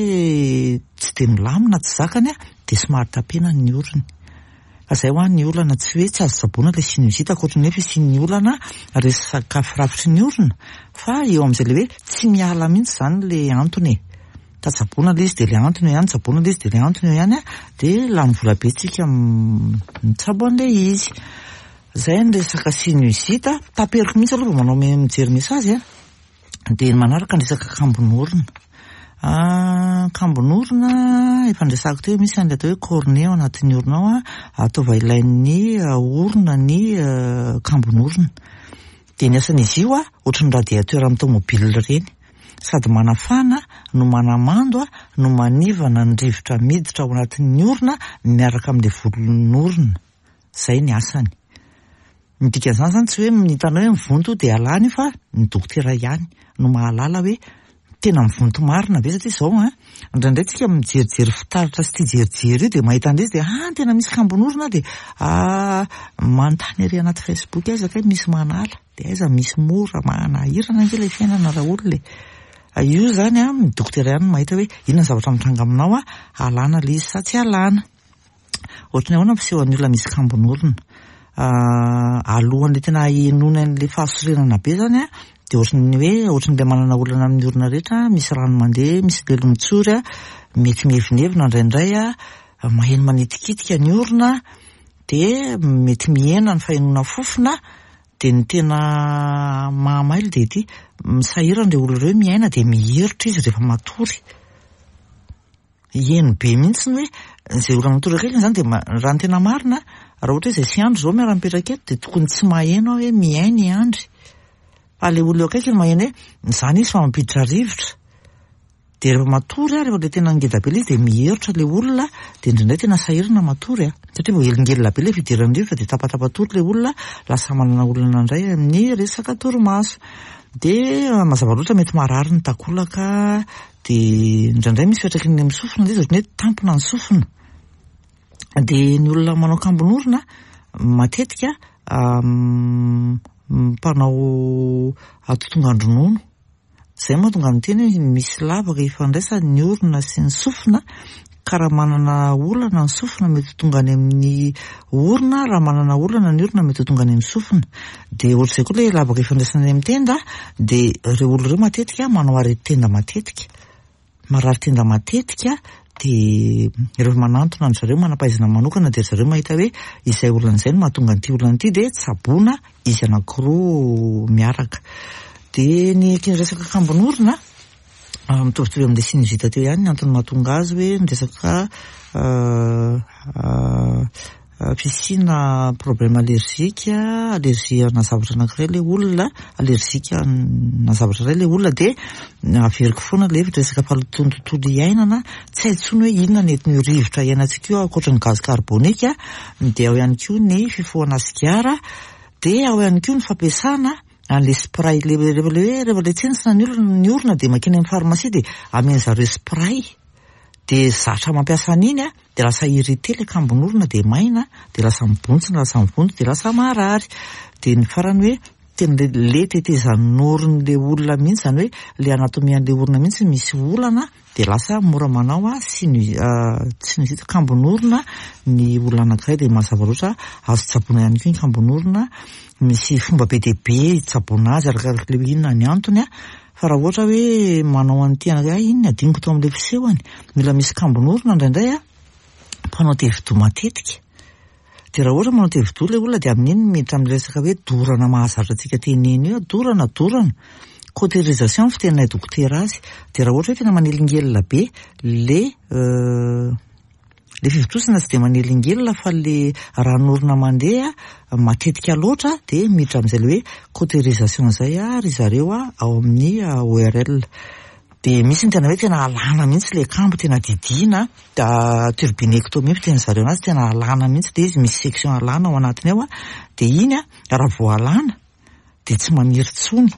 tsy dia milamina, tsy zakany a, dia somary tapenany ny orony. Fa izay ho an'ny olana, tsy hoe tsy azo tsaboina ilay sinusite ankoatry ny hoe fisian'ny olana resaka firafitry ny orona, fa eo amin'izay ilay hoe tsy miala mihitsy izany ilay antony e. Tsaboina ilay izy dia ilay antony eo ihany, tsaboina ilay izy dia ilay antony eo ihany a, dia lany vola be tsika mitsabo an'ilay izy. Izay ny resaka sinusite, taperiko mihitsy aloha vao manao mijery message a. Dia manaraka ny resaka kambon'orona. Kambon'orona efa niresahako teo, misy an'ilay atao hoe cornet ao anatin'ny orona ao a, ataova ilain'ny orona ny kambon'orona. Dia ny asan'izy io a, ohatry ny radiateur amin'ny tomobile ireny. Sady manafana no manamando a, no manivana ny rivotra miditra ao anatin'ny orona miaraka amin'ilay volon'orona. Izay ny asany. Ny dikan'izany zany tsy hoe hitanao hoe mivonto dia alany io, fa ny dokotera ihany no mahalala hoe tena mivonto marina ve, satria izao a, indraindray tsika mijerijery fitaratra sy tia jerijery io dia mahita an'ilay izy dia ah tena misy kambon'orona, dia ah manontany ery anaty Facebook aiza kay misy manala, dia aiza misy mora manahirana ange ilay fiainana raha olona e. Io zany a, ny dokotera ihany no mahita hoe inona ny zavatra mitranga aminao a, alana ilay izy sa tsy alana. Ohatry ny ahoana ny fisehoan'ny olona misy kambon'orona? Alohan'ilay tena henoina an'ilay fahasorenana be zany a, dia ohatry ny hoe ohatry ny manana olana amin'ny orona rehetra, misy rano mandeha, misy lelo mitsory a, mety mievinevina indraindray a, maheno manitikitika ny orona, dia mety mihena ny fahenoana fofona, dia ny tena mahamailo dia ity, misahirana ireo olona ireo miaina dia miherotra izy rehefa matory. Heno be mihitsy ny hoe izay olona matory akaikiny izany dia raha ny tena marina, raha ohatra hoe izay sy Andry izao miara-mipetraka eto dia tokony tsy maheno aho hoe miaina i Andry. Fa ilay olona eo akaikiny maheno hoe izany izy fa mampiditra rivotra. Dia rehefa matory aho, rehefa ilay tena ngeda be ilay izy dia miherotra ilay olona, dia indraindray tena sahirana matory a. Satria vao elingelina be ilay fidiran'ny rivotra dia tapatapa-tory ilay olona, lasa manana olana indray amin'ny resaka torimaso. Dia mazava loatra mety marary ny takolaka, dia indraindray misy fiantraikany amin'ny sofina ilay izy, ohatran'ny hoe tampona ny sofina. Dia ny olona manao kambon'orona matetika mpanao atotongan-dronono. Izay mahatonga ny teny hoe misy lavaka ifandraisany ny orona sy ny sofina, ka raha manana olana ny sofina mety ho tonga any amin'ny orona, raha manana olana ny orona mety ho tonga any amin'ny sofina. Dia ohatr'izay koa ilay lavaka ifandraisana any amin'ny tenda, dia ireo olona ireo matetika manao aretin-tenda matetika, marary tenda matetika, dia rehefa manantona an-dry zareo manam-pahaizana manokana dia ry zareo mahita hoe izay olana izay no mahatonga an'ity olana ity, dia tsaboina izy anankiroa miaraka. Dia ny resaka kambon'orona mitovitovy amin'ilay sinusite teo ihany ny antony mahatonga azy hoe ny resaka fisiana problème allergique, allergie ana zavatra anankiray ilay olona, allergique ana zavatra iray ilay olona, dia averiko foana ilay hevitra resaka fahalotoan'ny tontolo iainana, tsy hay intsony hoe inona ny entin'io rivotra iainantsika io ankoatra ny gaz carbonique, dia ao ihany koa ny fifohana sigara, dia ao ihany koa ny fampiasana an'ilay spray, le rehefa le hoe rehefa le tsentsina ny olona ny orona dia mankeny amin'ny pharmacie dia amen'zareo spray, dia zatra mampiasa an'iny a, dia lasa irrité ilay kambon'orona dia maina, dia lasa mibontsina, lasa mivonto, dia lasa marary. Dia ny farany hoe tena le le tetezan'oron'ilay olona mihitsy, izany hoe le anatomie an'ilay orona mihitsy misy olana, dia lasa mora manao a sinu sinusite, kambon'orona ny olona anankiray. Dia mazava loatra azo tsaboina ihany koa ny kambon'orona, misy fomba be dia be hitsaboana azy arakaraka ilay hoe inona ny antony a. Fa raha ohatra hoe manao an'ity anankiray, iny ny adinoko tao amin'ilay fisehony, mila misy kambon'orona indraindray a, mpanao tevidoha matetika. Dia raha ohatra manao tevidoha ilay olona dia amin'iny miditra amin'ny resaka hoe dorana mahazatra antsika teneno io, dorana, dorana. Cautérisation ny fiteninay dokotera azy. Dia raha ohatra hoe tena manelingelina be le le fivontosana tsy dia manelingelina fa le ran'orona mandeha matetika loatra, dia miditra amin'izay le hoe cautérisation izay a ry zareo a ao amin'ny O R L. Dia misy ny tena hoe tena alana mihitsy le kambo, tena didiana, da turbinectomie fitenin'ny zareo anazy, tena alana mihitsy dia izy misy section alana ao anatiny ao a, dia iny a raha vao alana dia tsy maniry intsony.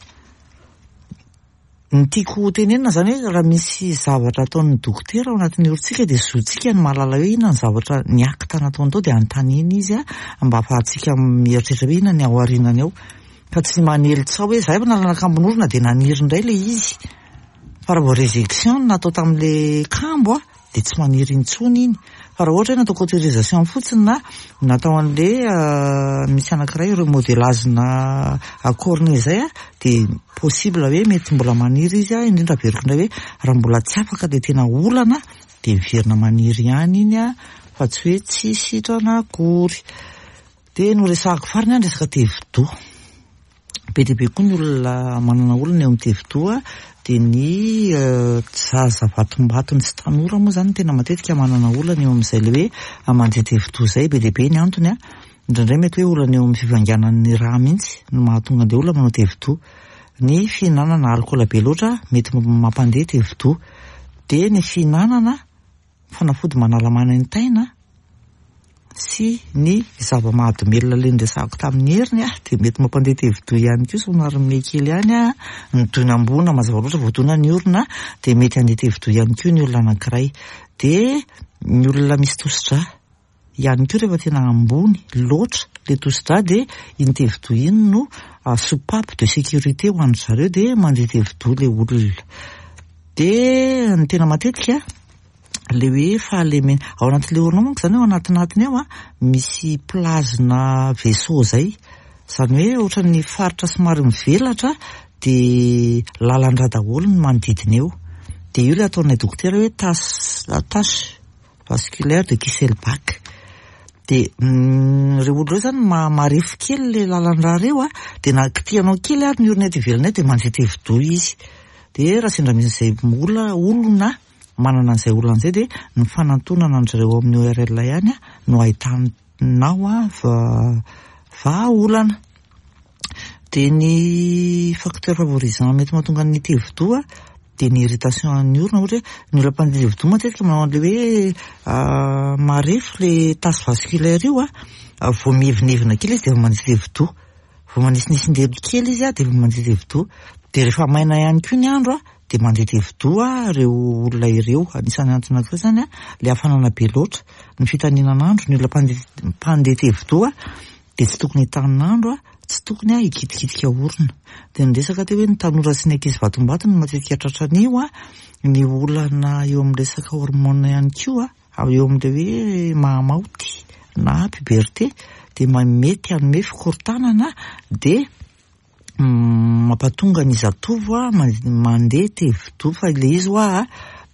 Ny tiako tenenina zany hoe raha misy zavatra ataon'ny dokotera ao anatin'ny orontsika dia zontsika ny mahalala hoe inona ny zavatra ny acte nataony tao, dia anontaniana izy a mba ahafahantsika mieritreritra hoe inona ny ao aorianany ao, fa tsy manely tsao hoe zahay efa nalana kambon'orona dia naniry indray ilay izy. Fa raha vao résection no natao tamin'ilay kambo a dia tsy maniry intsony iny. Fa raha ohatra hoe natao cautérisation fotsiny na natao an'ilay misy anankiray remodelage-na cornée izay a, dia possible hoe mety mbola maniry izy a, indrindra averiko indray hoe raha mbola tsy afaka ilay tena olana dia miverina maniry ihany iny a, fa tsy hoe tsy sitrana akory. Dia noresahako farany ny resaka tevidoha. Be dia be koa ny olona manana olana eo amin'ny tevidoha, dia ny zaza vatombatony sy tanora moa zany tena matetika manana olana eo amin'izay le hoe mandeha tevidoha izay. Be dia be ny antony a, indraindray mety hoe olana eo amin'ny fivanganan'ny rà mihitsy no mahatonga an'ilay olona manao tevidoha. Ny fihinanana alikaola be loatra mety mampandeha tevidoha. Dia ny fihinanana fanafody manala manaintaina sy ny zava-mahadomelina ilay noresahako tamin'ny heriny a, dia mety mampandeha tevidoha ihany koa, somary miha kely ihany a, ny donam-boana mazava loatra voadona ny orona dia mety handeha tevidoha ihany koa ny olona anankiray. Dia ny olona misy tosidra ihany koa rehefa tena ambony loatra ilay tosidra dia iny tevidoha iny no soupape de sécurité ho an-dry zareo, dia mandeha tevidoha ilay olona. Dia ny tena matetika le hoe fahalemena ao anatin'ilay orona manko zany, ao anatinatiny ao a misy plazina vaisseau zay, zany hoe ohatran'ny faritra somary mivelatra dia lalan-drà daholo ny manodidina eo. Dia io ilay ataonay dokotera hoe tache, tache vasculaire de Kiesselbach. Dia ireo olona ireo zany marefo kely ilay lalan-drà ireo a, dia na kitihanao kely ary ny orona eto ivelany eo dia mandeha tevidoha izy. Dia raha sendra misy izay olona, olona manana an'izay olana izay dia ny fanantonana an-dry zareo amin'ny O R L ihany a no ahitanao a vahaolana. Dia ny facteur favorisant mety mahatonga ny tevidoha dia ny irritation an'ny orona, ohatra hoe ny olona mpandeha tevidoha matetika manao an'ilay hoe marefo ilay tache vasculaire io a, vao mievinevina kely izy dia efa mandeha tevidoha, vao manisinisy-ndelo kely izy a dia efa mandeha tevidoha. Dia rehefa maina ihany koa ny andro a dia mandeha tevidoha ireo olona ireo. Anisan'ny antony anankiray zany a ilay hafanana be loatra, ny fitaninan'andro, ny olona mpandeha, mpandeha tevidoha dia tsy tokony hitanin'andro a, tsy tokony a hikitikitika orona. Dia ny resaka teo hoe ny tanora sy ny ankizy vatombatony no matetika tratran'io a, ny olana eo amin'ny resaka hormone ihany koa a, eo amin'ilay hoe mahamaoty na puberté dia mety hanome fikorontanana, dia mampatonga ny zatovo a mandeha tevidoha. Fa ilay izy hoa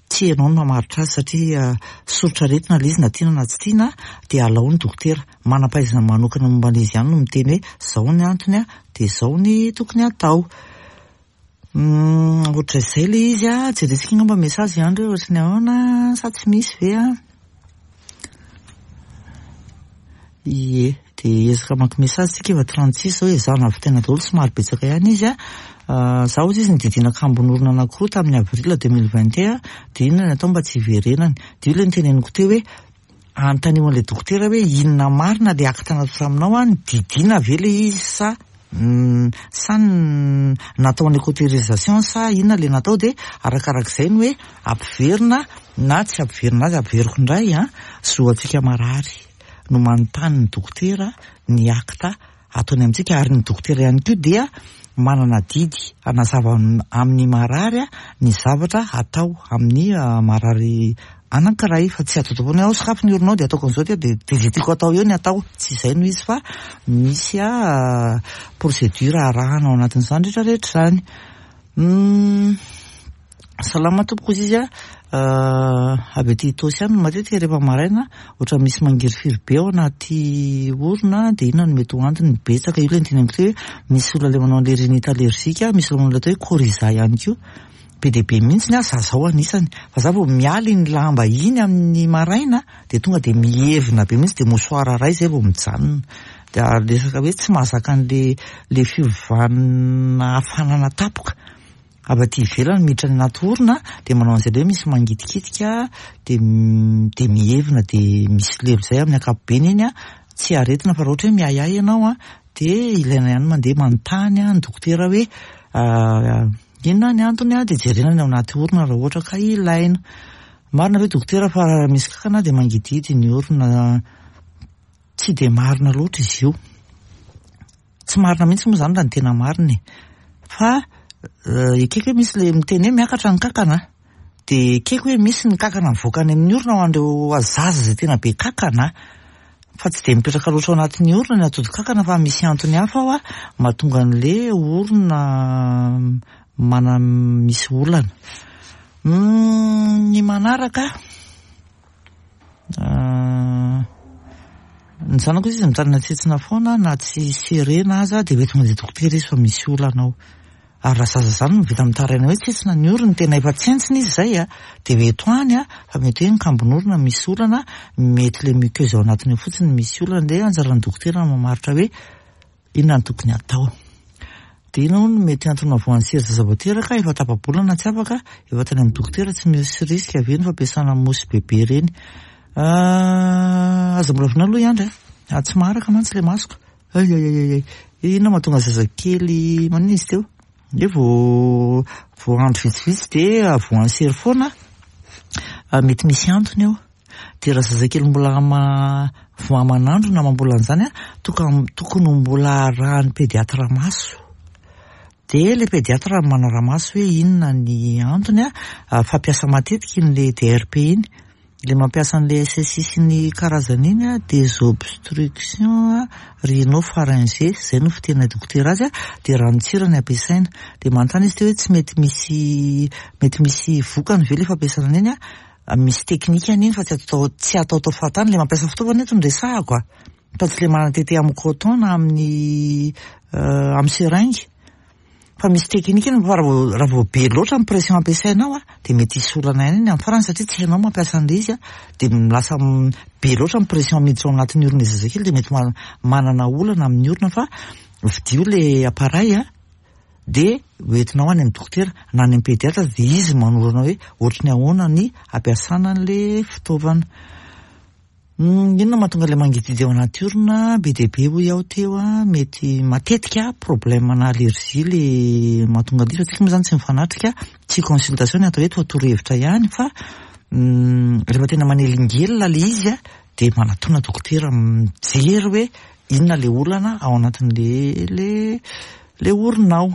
tsy ianao no mamaritra azy satria soritra aretina ilay izy na tiana na tsy tiana, dia alao ny dokotera manam-pahaizana manokana momba an'izy ihany no miteny hoe zao ny antony a, dia zao ny tokony atao. Ohatr'izay ilay izy a, jerentsika angamba message ihany ireo ohatry ny ahoana sa tsy misy ve a? Ie, dia ezaka mamaky message tsika efa trente-six zao, ezahana avitaina daholo, somary betsaka ihany izy a. Zaho hozy izy nodidiana kambon'orona anankiroa tamin'ny avril deux mille vingt et un, dia inona ny atao mba tsy hiverenany? Dia io ilay noteneniko teo hoe anontanio an'ilay dokotera hoe inona marina ilay acte natao taminao a, nididiana ve ilay izy sa sa natao an'ilay cautérisation sa inona ilay natao, dia arakarak'izay no hoe ampiverina na tsy ampiverina azy. Ampiveriko indray a, zo antsika marary no manontany ny dokotera ny acte ataony amintsika, ary ny dokotera ihany koa dia manana didy hanazava amin'ny marary ny zavatra atao amin'ny marary anankiray, fa tsy atao foana hoe sokafy ny oronao dia ataoko an'izao dia dia izay tiako atao eo ny atao. Tsy izay no izy fa misy a procédure arahana ao anatin'izany rehetrarehetra izany. Salama tompoko izy izy a, avy aty Itaosy ihany matetika rehefa maraina ohatra misy mangirifiry be ao anaty orona, dia inona no mety ho antony? Betsaka io ilay noteneniko teo hoe misy olona ilay manao an'ilay rhinite allergique, misy olona manao ilay atao hoe coryza ihany koa, be dia be mihitsy ny ahy, za zao anisany, fa za vao miala iny lamba iny amin'ny maraina dia tonga dia mihevina be mihitsy, dia mouchoir iray zay vao mijanona. Dia resaka hoe tsy mahazaka an'le le fiovana hafanana tampoka avy aty ivelany miditra any anaty orona, dia manao an'izay le hoe misy mangitikitika dia dia mihevina dia misy lelo zay amin'ny ankapobeny iny a, tsy aretina fa raha ohatra hoe miahiahy ianao a, dia ilaina ihany mandeha manontany ny dokotera hoe inona ny antony a, dia jerena ny ao anaty orona raha ohatra ka ilaina. Marina ve dokotera fa raha misy kankana dia mangidihidy ny orona? Tsy dia marina loatra izy io. Tsy marina mihitsy moa zany raha ny tena marina e. Fa ekeko hoe misy le miteny hoe miakatra ny kankana, dia ekeko hoe misy ny kankana mivoaka any amin'ny orona ho an'ireo zaza izay tena be kankana, fa tsy dia mipetraka loatra ao anatin'ny orona ny atody kankana, fa misy antony hafa ao a mahatonga an'le orona mana misy olana. Ny manaraka, ny zanako izy mitaraina tsetsina foana na tsy serena aza dia mety mandeha dokotera izy fa misy olana ao. Ary raha zaza zany no vita mitaraina hoe tsetsina ny orony, tena efa tsentsina izy zay a, dia mety ho any a, fa mety hoe ny kambon'orona misy olana, mety le muqueuse ao anatiny ao fotsiny misy olana, dia anjaran'ny dokotera no mamaritra hoe inona no tokony atao. Dia inona hono no mety antony mahavoan'ny sery zaza vao teraka, efa tapa-bolana tsy afaka, efa tany amin'ny dokotera, tsy misy risque ve ny fampiasana mousse bebe ireny? Aza mbola vonoina aloha i Andry a, tsy maharaka mantsy ilay masoko. Ay ay ay ay, inona mahatonga zazakely manina izy teo? Hoe vao vao andro vitsivitsy dia voan'ny sery foana, mety misy antony eo. Dia raha zazakely mbola ama vao aman'andro na amam-bolana izany a, tokony tokony mbola arahan'ny pédiatre maso. Dia ilay pédiatre manara-maso hoe inona ny antony a, fampiasa matetika iny le D R P iny. Le mampiasa an'le S S I sy ny karazany iny a, des obstructions rhinopharyngées, zay no fitenay dokotera azy a, dia ranotsira ny ampiasaina. Dia manontany izy teo hoe tsy mety misy mety misy vokany ve le fampiasana an'iny a, misy teknika an'iny fa tsy atao tsy ataotao fahatany. Le mampiasa fitaovana eto no resahako a, fa tsy le manatete amin'ny coton na amin'ny amin'ny seringue. Fa misy teknika iny, fa raha vao raha vao be loatra ny pression ampiasainao a, dia mety hisy olana ihany iny amin'ny farany, satria tsy hainao mampiasa an'ilay izy a, dia lasa be loatra ny pression miditra ao anatin'ny orona zazakely, dia mety manana olana amin'ny orona. Fa vidio le appareil a, dia hoentinao any amin'ny dokotera na any amin'ny pédiatre, dia izy manoro anao hoe ohatry ny ahoana ny ampiasana an'le fitaovana. Inona mahatonga ilay mangidihidy ao anaty orona? Be dia be hoy aho teo a, mety matetika problème na allergie le mahatonga an'io, fa tsika moa zany tsy mifanatrika, tsy consultation ny atao eto fa torohevitra ihany, fa rehefa tena manelingelina le izy a, dia manatona dokotera mijery hoe inona le olana ao anatin'le le le orona ao.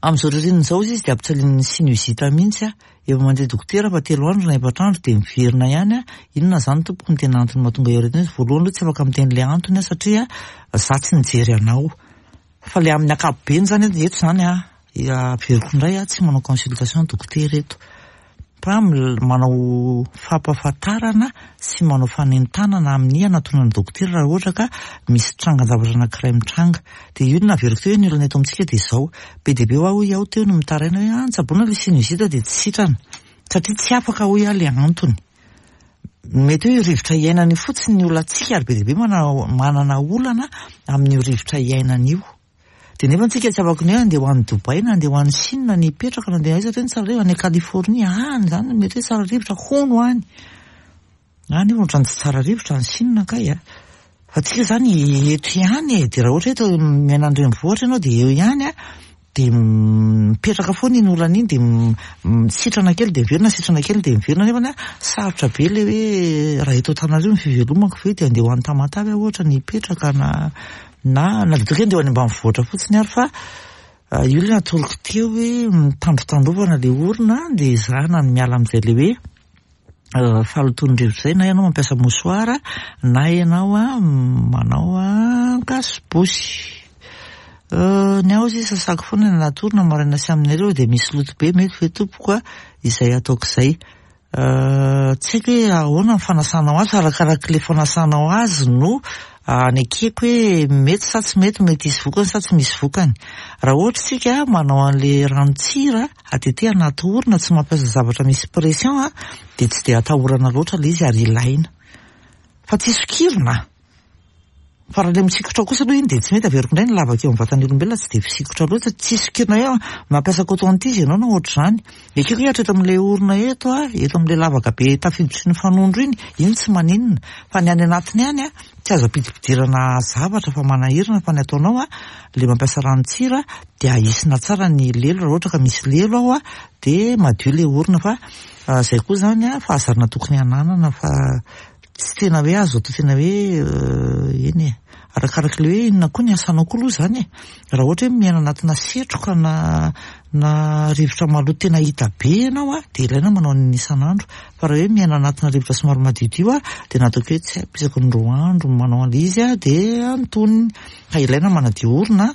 Amin'izao ririnina izao izy dia ampijalian'ny sinusite mihitsy a, efa mandeha dokotera fa telo andro na efatra andro dia miverina ihany a. Inona zany tompoko ny tena antony mahatonga io aretina io? Voalohany aloha tsy afaka miteny le antony a, satria za tsy nijery anao. Fa le amin'ny ankapobeny zany eto zany a, averiko indray a, tsy manao consultation dokotera eto, fa manao fampahafantarana sy manao fanentanana amin'ny anatonana dokotera raha ohatra ka misy trangan-javatra anankiray mitranga. Dia io no naveriko teo hoe ny olana eto amintsika dia izao, be dia be ho aho hoy aho teo no mitaraina hoe ah, nitsaboana ilay sinusite dia tsy sitrana, satria tsy afaka hoy aho le antony. Mety hoe io rivotra iainana io fotsiny ny olantsika, ary be dia be mana- manana olana amin'io rivotra iainana io. Dia nefa antsika tsy afaka ny hoe andeha ho any Dubaï na andeha ho any Chine na hipetraka na andeha aiza hoe tsara rivotra, any Californie any zany mety hoe tsara rivotra hono any. Any io ohatran'ny tsy tsara rivotra any Chine kay a. Fa tsika zany eto ihany e, dia raha ohatra eto miaina an-drenivohitra ianao dia eo ihany a, dia mipetraka foana iny olana iny, dia sitrana kely dia miverina, sitrana kely dia miverina, nefa a sarotra be le hoe raha eto Antananarivo ny fivelomako ve dia andeha ho any Tamatave aho ohatra ny hipetraka, na na na dia toka andeha ho any ambanivohitra fotsiny ary. Fa io le natoroko teo hoe mitandrotandrovana le orona, dia ezahana ny miala amin'izay le hoe fahalotoan'ny rivotra izay, na ianao mampiasa mouchoir na ianao a manao cache-bouche. Ny aho izy sasako foana ny anaty orona maraina sy amin'ny hariva, dia misy loto be, mety ve tompoko a izay ataoko izay? Tsy haiko hoe ahoana ny fanasanao azy, fa arakarak'ilay fanasanao azy no anekeko hoe mety sa tsy mety, mety hisy vokany sa tsy misy vokany. Raha ohatra isika manao an'ilay ranon-tsira atete anaty orona, tsy mampiasa zavatra misy pression a, dia tsy dia atahorana loatra ilay izy ary ilaina. Fa tsy sokirina. Fa raha ilay misikotra kosa aloha iny dia tsy mety, averiko indray ny lavaka eo amin'ny vatan'ny olombelona tsy dia fisikotra loatra, tsy sokirina hoe mampiasa coton-tige ianao na ohatr'izany. Ekeko hoe hatreto amin'ilay orona eto a, eto amin'ilay lavaka be tafiditry ny fanondro iny, iny tsy maninona. Fa ny any anatiny any a, tsy azo ampidipidirana zavatra fa manahirana, fa ny ataonao a, ilay mampiasa ranon-tsira dia ahisina tsara ny lelo, raha ohatra ka misy lelo ao a, dia madio ilay orona. Fa izay koa zany a, fahazarana tokony hananana, fa tsy tena hoe azo atao tena hoe eny e. Arakarak'ilay hoe inona koa ny asanao koa aloha zany e. Raha ohatra hoe miaina anatina setroka na na rivotra maloto tena hita be ianao a, dia ilaina manao an'iny isan'andro. Fa raha hoe miaina anatina rivotra somary madiodio a, dia nataoko hoe tsy haiko isaky ny roa andro manao an'ilay izy a, dia antonony. Fa ilaina manadio orona,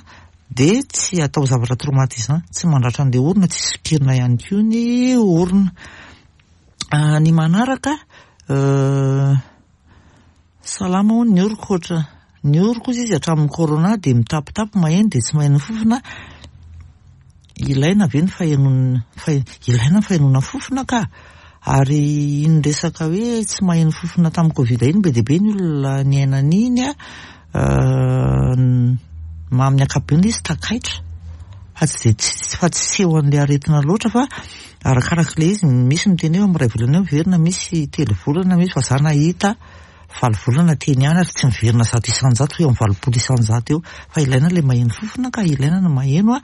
dia tsy atao zavatra traumatisant, tsy mandratra an'ilay orona, tsy sokirina ihany koa ny orona. Ny manaraka, salama hono ny oroko ohatra. Ny oroko izy hatramin'ny corona dia mitapitapy maheno dia tsy maheno fofona. Ilaina ve ny fahenoana, ilaina ny fahenoana fofona ka? Ary iny resaka hoe tsy maheno fofona tamin'ny Covid iny, be dia be ny olona niaina an'iny a, amin'ny ankapobeny izy takaitra. Fa tsy dia fa tsy seho an'ilay aretina loatra, fa arakarak'ilay izy, misy miteny hoe amin'ny iray volana eo miverina, misy telo volana, misy, fa za nahita valo volana teny ihany ary tsy miverina zato isan-jato fa eo amin'ny valopolo isan-jato eo. Fa ilaina ilay maheno fofona ka, ilaina ny maheno a.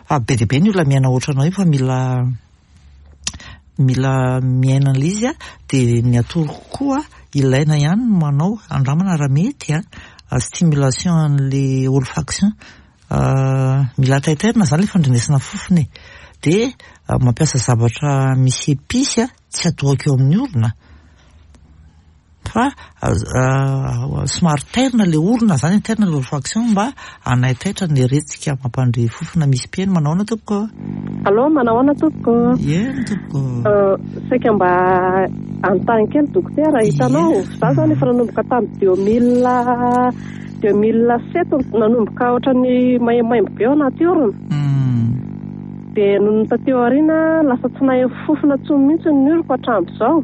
Fa be dia be ny olona miaina ohatranao io fa mila mila miaina an'ilay izy a. Dia ny atoroko koa, ilaina ihany ny manao andramana raha mety a, stimulation an'ilay olfaction. Mila taitairina zany ilay fandrenesana fofona e. Dia mampiasa zavatra misy épice a, tsy atohaka eo amin'ny orona, fa somary tairina ilay orona zany, tairina ilay olfaction mba hanaitaitra ny retsika mampandre fofona. Misy mpihaino. Manao ahoana tompoko? Allô, manao ahoana tompoko? Eny tompoko. Saika mba anontany kely dokotera, hitanao za zany efa nanomboka tamin'ny deux mille deux mille sept, nanomboka ohatran'ny maimbo be ao anaty orona, dia nony taty aoriana lasa tsy nahay fofona intsony mihitsy ny oroko hatramin'izao.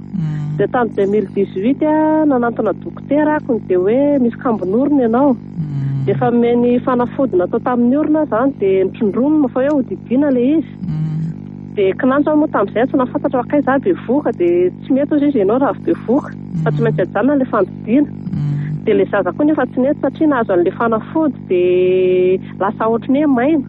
Dia tamin'ny deux mille dix-huit a nanantona dokotera ako, dia hoe misy kambon'orona ianao, dia efa nomeny fanafody natao tamin'ny orona zany, dia nitrondromina fa hoe hodidiana ilay izy. Dia kinanjo aho moa tamin'izay tsy nahafantatra fa kay za bevohoka, dia tsy mety hozy izy ianao raha avy bevohoka fa tsy maintsy ajanona ilay fandidiana. Dia ilay zaza koa nefa tsy nety satria nahazo an'ilay fanafody, dia lasa ohatran'ny hoe maina.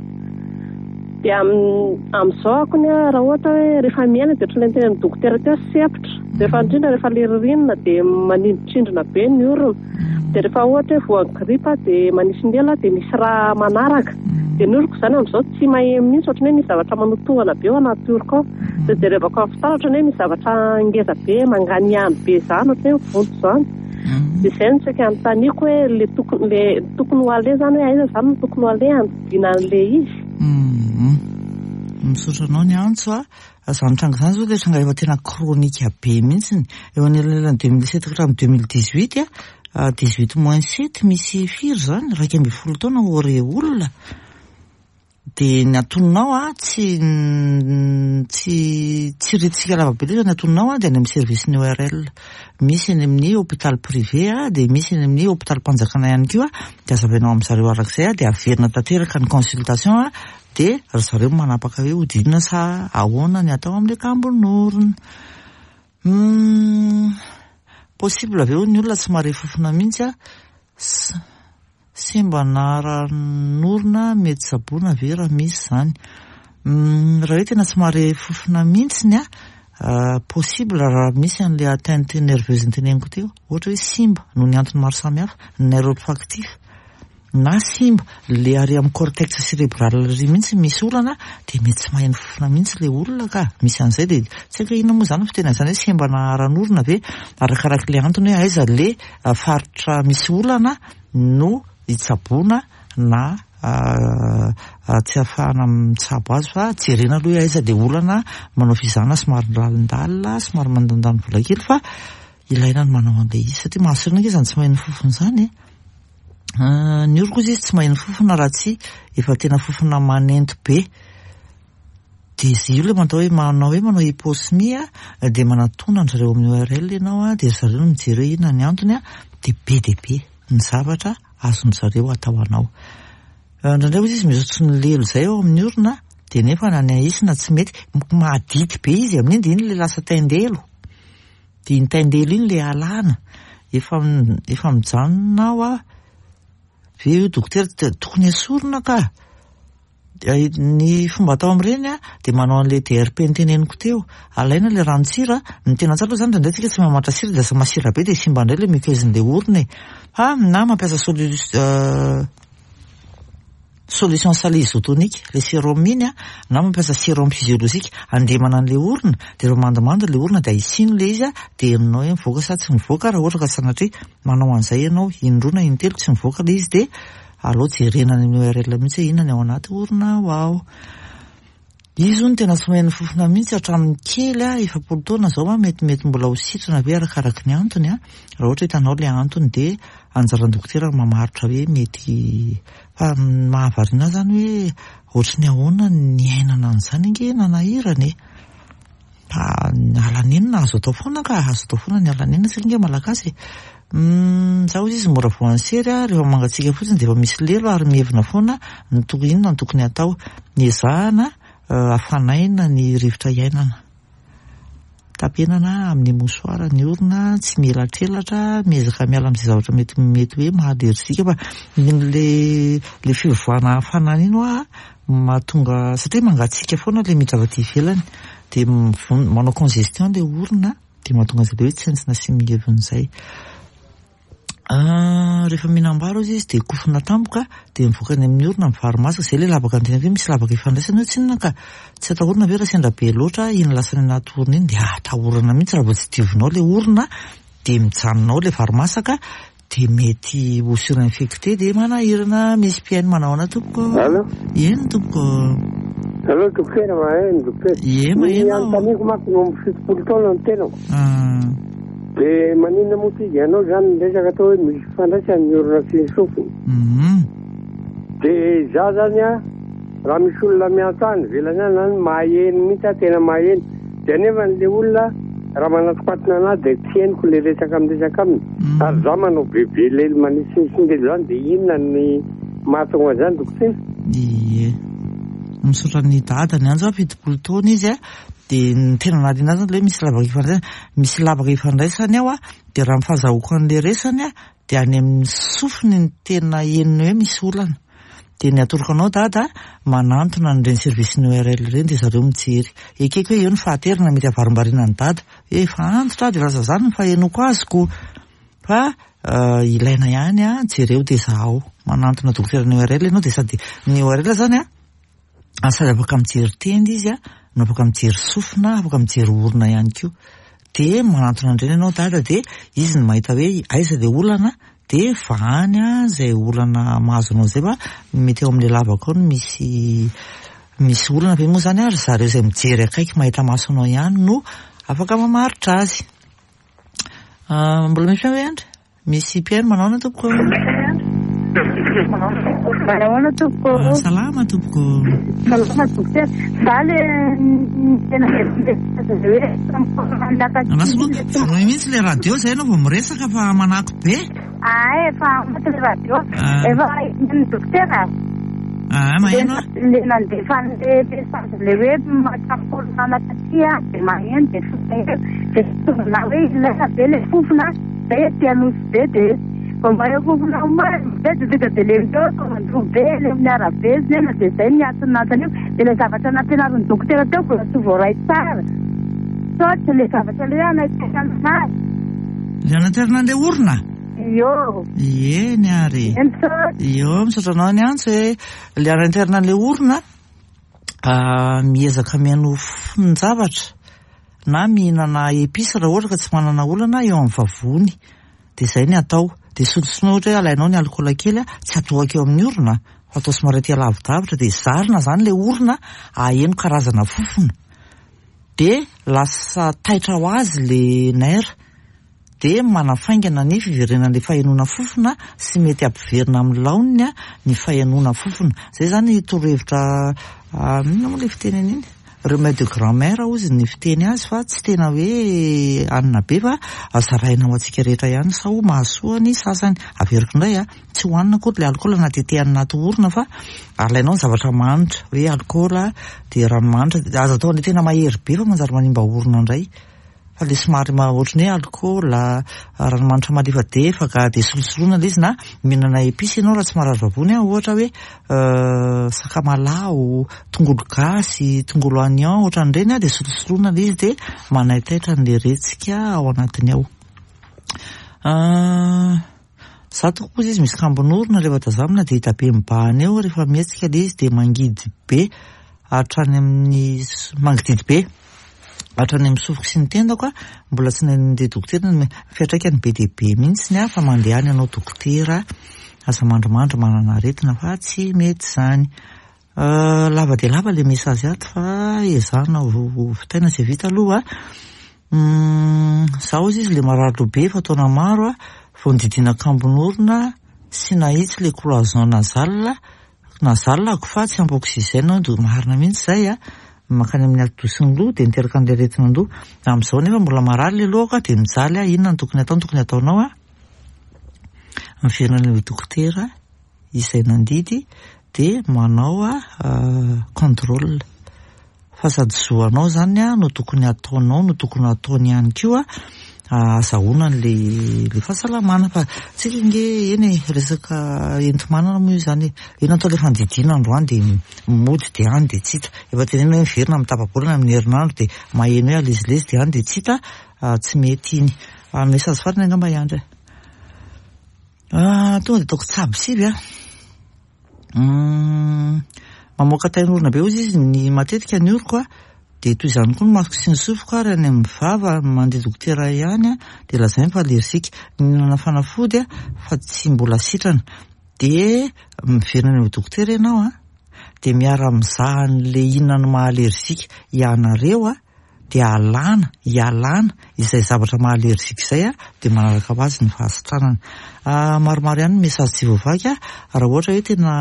Dia amin'izao akony a, raha ohatra hoe rehefa miaina dia ohatran'ilay niteny amin'ny dokotera teo, sempotra, rehefa indrindra rehefa le ririnina dia manindrotrindrona be ny orona. Dia rehefa ohatra hoe voan'ny gripa dia manisy ny ela dia misy raha manaraka. Dia ny oroko izany amin'izao tsy maheno mihitsy, ohatran'ny hoe misy zavatra manotohana be ao anaty oroko ao. Dia jerevako amin'ny fitaratra ohatran'ny hoe misy zavatra ngeza be manganihany be izany, ohatran'ny hoe mivonto izany. Dia izay no saika anontaniako hoe le tokony le tokony ho aleha zany, hoe aiza zany no tokony ho aleha handidiana an'ilay izy? Misaotra anao ny antso a. Izany tranga izany zao dia tranga efa tena chronique be mihitsiny. Eo anelanelan'ny deux mille sept hatramin'ny deux mille dix-huit a, dix-huit moins sept misy firy zany? Iraika ambin'ny folo taona ore olona. Dia ny antononao a, tsy tsy tsy retsika lava be loatra ny antononao a, dia any amin'ny service ny O R L. Misy any amin'ny hôpital privé a, dia misy any amin'ny hôpital mpanjakana ihany koa, dia azavainao amin'zareo arak'izay a, dia averina tanteraka ny consultation a, dia ry zareo manapaka hoe hodidina sa ahoana ny atao amin'le kambon'orona. hmm, possible avy eo ny olona tsy mahare fofona mihitsy a, sembana mety tsaboina ve raha misy zany? hmm, raha hoe tena tsy mahare fofona mihitsiny a, possible raha misy an'le atteinte nerveuse nyteneniko teo, ohatra hoe simba noho ny antony maro samihafa ny nerf olfactif, na simba le ary amin'ny cortex cérébral ry mihitsy misy olana, de mety tsy maheno fofona mihitsy le olona ka misy an'izay. De tsy haiko hoe inona moa zany fitena zany hoe sembana ara-norona ve, arakarak'le antony hoe aiza le faritra misy olana no hitsaboana na tsy ahafahana mitsabo azy, fa jerena aloha hoe aiza le olana, manao fizahana somary lalindalina, somary mandandany vola kely, fa ilaina ny manao an'le izy satria mahasorina ange zany tsy maheno fofona zany e. Ny oroko izy izy tsy maheno fofona raha tsy efa tena fofona manento be, de izy io le manao hoe manao hoe manao hyposmie a, de manatona an-drareo amin'ny O R L ianao a, de ry zareo no mijery hoe inona ny antony a, de be de be ny zavatra azon-dry zareo atao anao. Indraindray ozy izy misy ohatry ny lelo zay eo amin'ny orona, de nefa na ny ahisina tsy mety, mahadity be izy amin'iny, de iny le lasa taindelo, de iny taindelo iny le alana. Efa efa mijanona aho a ve io dokotera? Tokony esorina ka. Ny fomba atao amin'ireny a, de manao an'le D R P nyteneniko teo, alaina le ranon-tsira. Ny tena tsara aloha zany, indraindray tsika tsy mamatra sira, de lasa masira be, de simba indray le muqueuse-n'le orona e, fa na mampiasa solu solution salée isotonique le sérum iny a, na mampiasa sérum physiologique andemana an'le orona, de rehefa mandimando le orona de ahisino le izy a, de henonao hoe mivoaka sa tsy mivoaka. Raha ohatra ka sanatria manao an'izay ianao indroa na intelo tsy mivoaka le izy, de aleo jerena any amin'ny O R L mihitsy hoe inona ny ao anaty orona ao ao Izy io no tena tsy maheno fofona mihitsy hatramin'ny kely a, efapolo taona zao a, metimety mbola ho sitrana ve arakaraky ny antony a? Raha ohatra hitanao le antony, de anjaran'ny dokotera mamaritra hoe mety, fa mahavariana zany hoe ohatry ny ahoana ny ainana an'izany ange nanahirana e. Fa alanenina azo atao foana ka, azo atao foana ny alanenina, tsika nge malagasy e. Zaho izy izy mora voan'ny sery a, rehefa mangatsiaka fotsiny de efa misy lelo ary mihevina foana ny tokony, inona ny tokony atao? Ny ezahana afanaina ny rivotra iainana, tapenana amin'ny mouchoir ny orona, tsy mielatrelatra, miezaka miala amin'izay zavatra mety mety hoe maha-allergique, fa le le fivoahana hafanana iny hoa mahatonga, satria mangatsiaka foana le miditra avy aty ivelany, de manao congestion le orona, de mahatonga an'izay le hoe tsentsina sy mihevina izay. Rehefa mihinam-bary ozy izy de kofona tampoka, de mivoaka any amin'ny orona ny vary masaka zay, le lavaka ny tena hoe misy lavaka ifandraisana io tsinona ka. Tsy atahorana ve raha sendra be loatra iny lasa any anaty orona iny? De atahorana mihitsy raha vao tsy diovinao le orona, de mijanona ao le vary masaka, de mety ho surinfecté, de manahirana. Misy mpihaino, manao ahoana tompoko? Allo? Eny tompoko. Allo dokotera, maheno dokotera? Ie. Ny maheno. Anontaniako manko no amin'ny fitopolo taona ny tenako. Ah, de maninona moa ty ianao zany miresaka atao hoe misy fifandraisany ny orona sy ny sofiny? mhm. De za zany a, raha misy olona miantso any ivelany any zany, maheno mihitsy aho, tena maheno, de nefa n'le olona raha manatokatona anahy de tsy henoko le resaka miresaka aminy. Mm. Ary za manao bebe lelo manisinisy zany, de inona ny mahatonga an'izany dokotera? Ie, misaotra ny dada ny anjo a, fitopolo taona izy a, de ny tena nahaliana azy zany le hoe misy lavaka ifandraisany, misy lavaka ifandraisany ao a, de raha mifahazahoako an'le resany a, de any amin'ny sofiny ny tena henony hoe misy olana, de ny atoroko anao dada, manantona an'ireny service ny O R L ireny, de zareo mijery. Ekeko hoe eo ny fahaterana mety avarimbarina ny dada hoe efa antitra de lasa zany ny fahenoko azoko, fa uh, ilaina ihany a, jereo de zahao, manantona dokotera ny O R L ianao, de sady ny O R L zany a, sady afaka mijery tenda izy a, no afaka mijery sofina, afaka mijery orona ihany koa, de manantona andreny ianao dada, de izy ny mahita hoe aiza le olana, de vahany a zay olana mahazo anao zay, fa mety eo amin'le lavaka ao no misy misy olana ve moa zany ary zareo izay mijery akaiky mahita maso anao ihany no afaka mamaritra azy. Ah, mbola misy hoe andry misy mpihaino, manao na tompoko? Manahoana tompoko? Salama tompoko. Salama dokotera. Za le tena hoe Andraso aloha, vonoy mihitsy le radio zay ianao vao miresaka fa manako be. Ah, efa maty le radio. Efa ny dokotera. Ah, maheno. Le nandefa an'le message le hoe mahatrakolona taty a, dia maheno dia fofona dia tonga hoe ilaina be le fofona, zay aty Anosy be dia vao maheno fofona be dia tonga dia le meo mandroa be le amin'ny arabe zany dia zay ny antony antanio dia le zavatra nampianarin'ny dokotera teo mbola tsy voaray tsara. Saotra le zavatra le hoe anaterana anazy. Le anaterana an'le orona? Io. Eny ary. Io, misaotra anao ny antso e. Le anaterana an'le orona, miezaka mihaino fonon-javatra na mihinana episy raha ohatra ka tsy manana olana eo amin'ny vavony. Dia izay ny atao. Dia solosoloina ohatra hoe alainao ny alikaola kely, tsy atohaka eo amin'ny orona, fa atao somary aty alavidavitra, dia zarina izany le orona aheno karazana fofona. Dia lasa taitra ho azy le nerf. Dia manafaingana ny fiverenan'ilay fahenoana fofona sy mety hampiverina amin'ny laoniny ny fahenoana fofona. Izay izany torohevitra, inona moa ilay fiteny an'iny? Remède de grand-mère hozy ny fiteny azy fa tsy tena hoe anina be fa zaraina ho antsika rehetra ihany sao mahasoa ny sasany. Averiko indray a, tsy hohanina akory ilay alikaola na tetehana anaty orona fa alainao ny zavatra manitra hoe alikaola dia ranomanitra, aza atao an'ilay tena mahery be fa manjary manimba orona indray. Fa le somary ohatran'ny hoe alikaola, ranomanitra malefadefaka dia solosoloina ilay izy na mihinana episy ianao raha tsy marary vavony, ohatra hoe sakamalaho, tongolo gasy, tongolo oignon ohatran'ireny dia solosoloina ilay izy dia manaitaitra an'ilay retsika ao anatiny ao. Za tokoa kosa izy misy kambon'orona rehefa tazamina dia hita be mibahana eo rehefa mihetsika ilay izy dia mangidy be hatrany amin'ny mangididy be hatrany amin'ny sofiko sy ny tendako a, mbola tsy nandeha dokotera ny fiantraikany be dia be mihitsy ny ahy fa mandeha any ianao dokotera, aza mandrimandry manana aretina fa tsy mety izany. Lava dia lava ilay message ato fa ezahana ho vitaina izay vita aloha. Zaho izy izy ilay marary loha be efa taona maro a, vao nodidiana kambon'orona sy nahitsy ilay cloison nasale, nasale ako fa tsy ampy oxygène dia marina mihitsy izay a. Mankany amin'ny atidoha sy ny loha dia niteraka an'ilay aretina an-doha. Amin'izao nefa mbola marary ilay lohako dia mijaly aho, inona no tokony atao? Ny tokony ataonao a, miverina any amin'ny dokotera izay nandidy dia manao a contrôle. Fa sady zo anao izany a no tokony ataonao, no tokony ataony ihany koa azahoana an'ilay ilay fahasalamana fa tsika nge eny e, resaka enti-manana moa io izany e. Eny atao ilay fandidiana androany dia mody dia any dia tsy hita. Efa tenenina hoe miverina amin'ny tapa-bolana amin'ny herinandro dia maheno hoe alezilezy dia any dia tsy hita, tsy mety iny. Message farany angamba hiandry. Tonga dia ataoko tsabo sivy a. Mamoaka tain'orona be hozy izy ny matetika ny oroko a, dia toy izany koa ny masoko sy ny sofiko ary any amin'ny vava mandeha dokotera ihany a, dia lazainy fa alerzika. Nihinana fanafody a fa tsy mbola sitrana. Dia miverina any amin'ny dokotera ianao a, dia miara-mizaha an'ilay inona no maha alerzika ianareo a, dia alana, ialana izay zavatra maha alerzika izay a, dia manaraka ho azy ny fahasitranana. Maromaro ihany ny message tsy voavaky a, raha ohatra hoe tena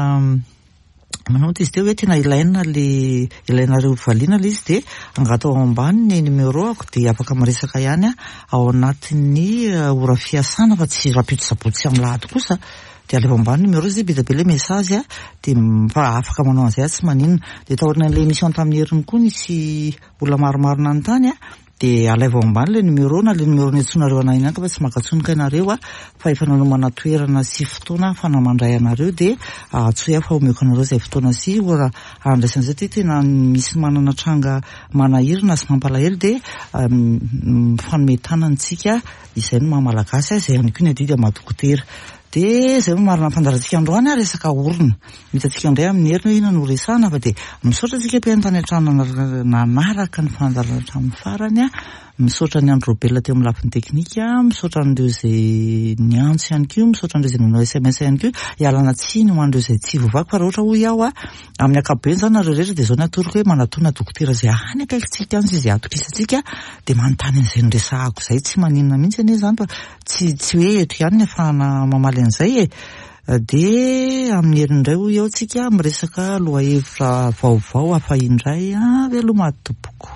manao izy teo hoe tena ilaina le ilainareo valiana ilay izy dia angatao ao ambany ny numéro ako dia afaka miresaka ihany a ao anatin'ny ora fiasana fa tsy rahampitso sabotsy amin'ny lahady kosa. Dia alefa ambany numéro izy be dia be ilay message a, dia fa afaka manao an'izay tsy maninona. Dia taorian'ilay émission tamin'ny heriny koa nisy olona maromaro nanontany a, dia alaivo ao ambany ilay numéro na ilay numéro niantsoanareo anahy ihany fa tsy mankatsonika ianareo a, fa efa nanomana toerana sy fotoana fa namandray anareo dia antsoy aho fa omeko anareo izay fotoana sy ora andraisana izay. Tena misy manana tranga manahirana sy mampalahelo dia mifanome tanana isika, izay no maha malagasy, izay ihany koa ny adidy amin'ny maha dokotera. Dia izay no marina fandaharantsika androany a, resaka orona. Hitantsika indray amin'ny heriny hoe inona no resahana fa dia misaotra antsika mpihaino tany an-trano nanaraka ny fandaharana hatramin'ny farany a. Misaotra ny Andry Robel teo amin'ny lafiny teknika, misaotra an'ireo izay niantso ihany koa, misaotra an'ireo izay nanao S M S ihany koa. Ialana tsiny ho an'ireo izay tsy voavaky fa raha ohatra hoy aho a, amin'ny ankapobeny izany nareo rehetra dia izao ny atoroko hoe manatona dokotera izay any akaikintsika any sy izay atokisantsika dia manontany an'izay noresahako izay, tsy maninona mihitsy anie izany fa tsy tsy hoe eto ihany ny ahafahana mamaly an'izay e. Dia amin'ny heriny indray hoy eo tsika miresaka lohahevitra vaovao hafa indray a. Veloma tompoko.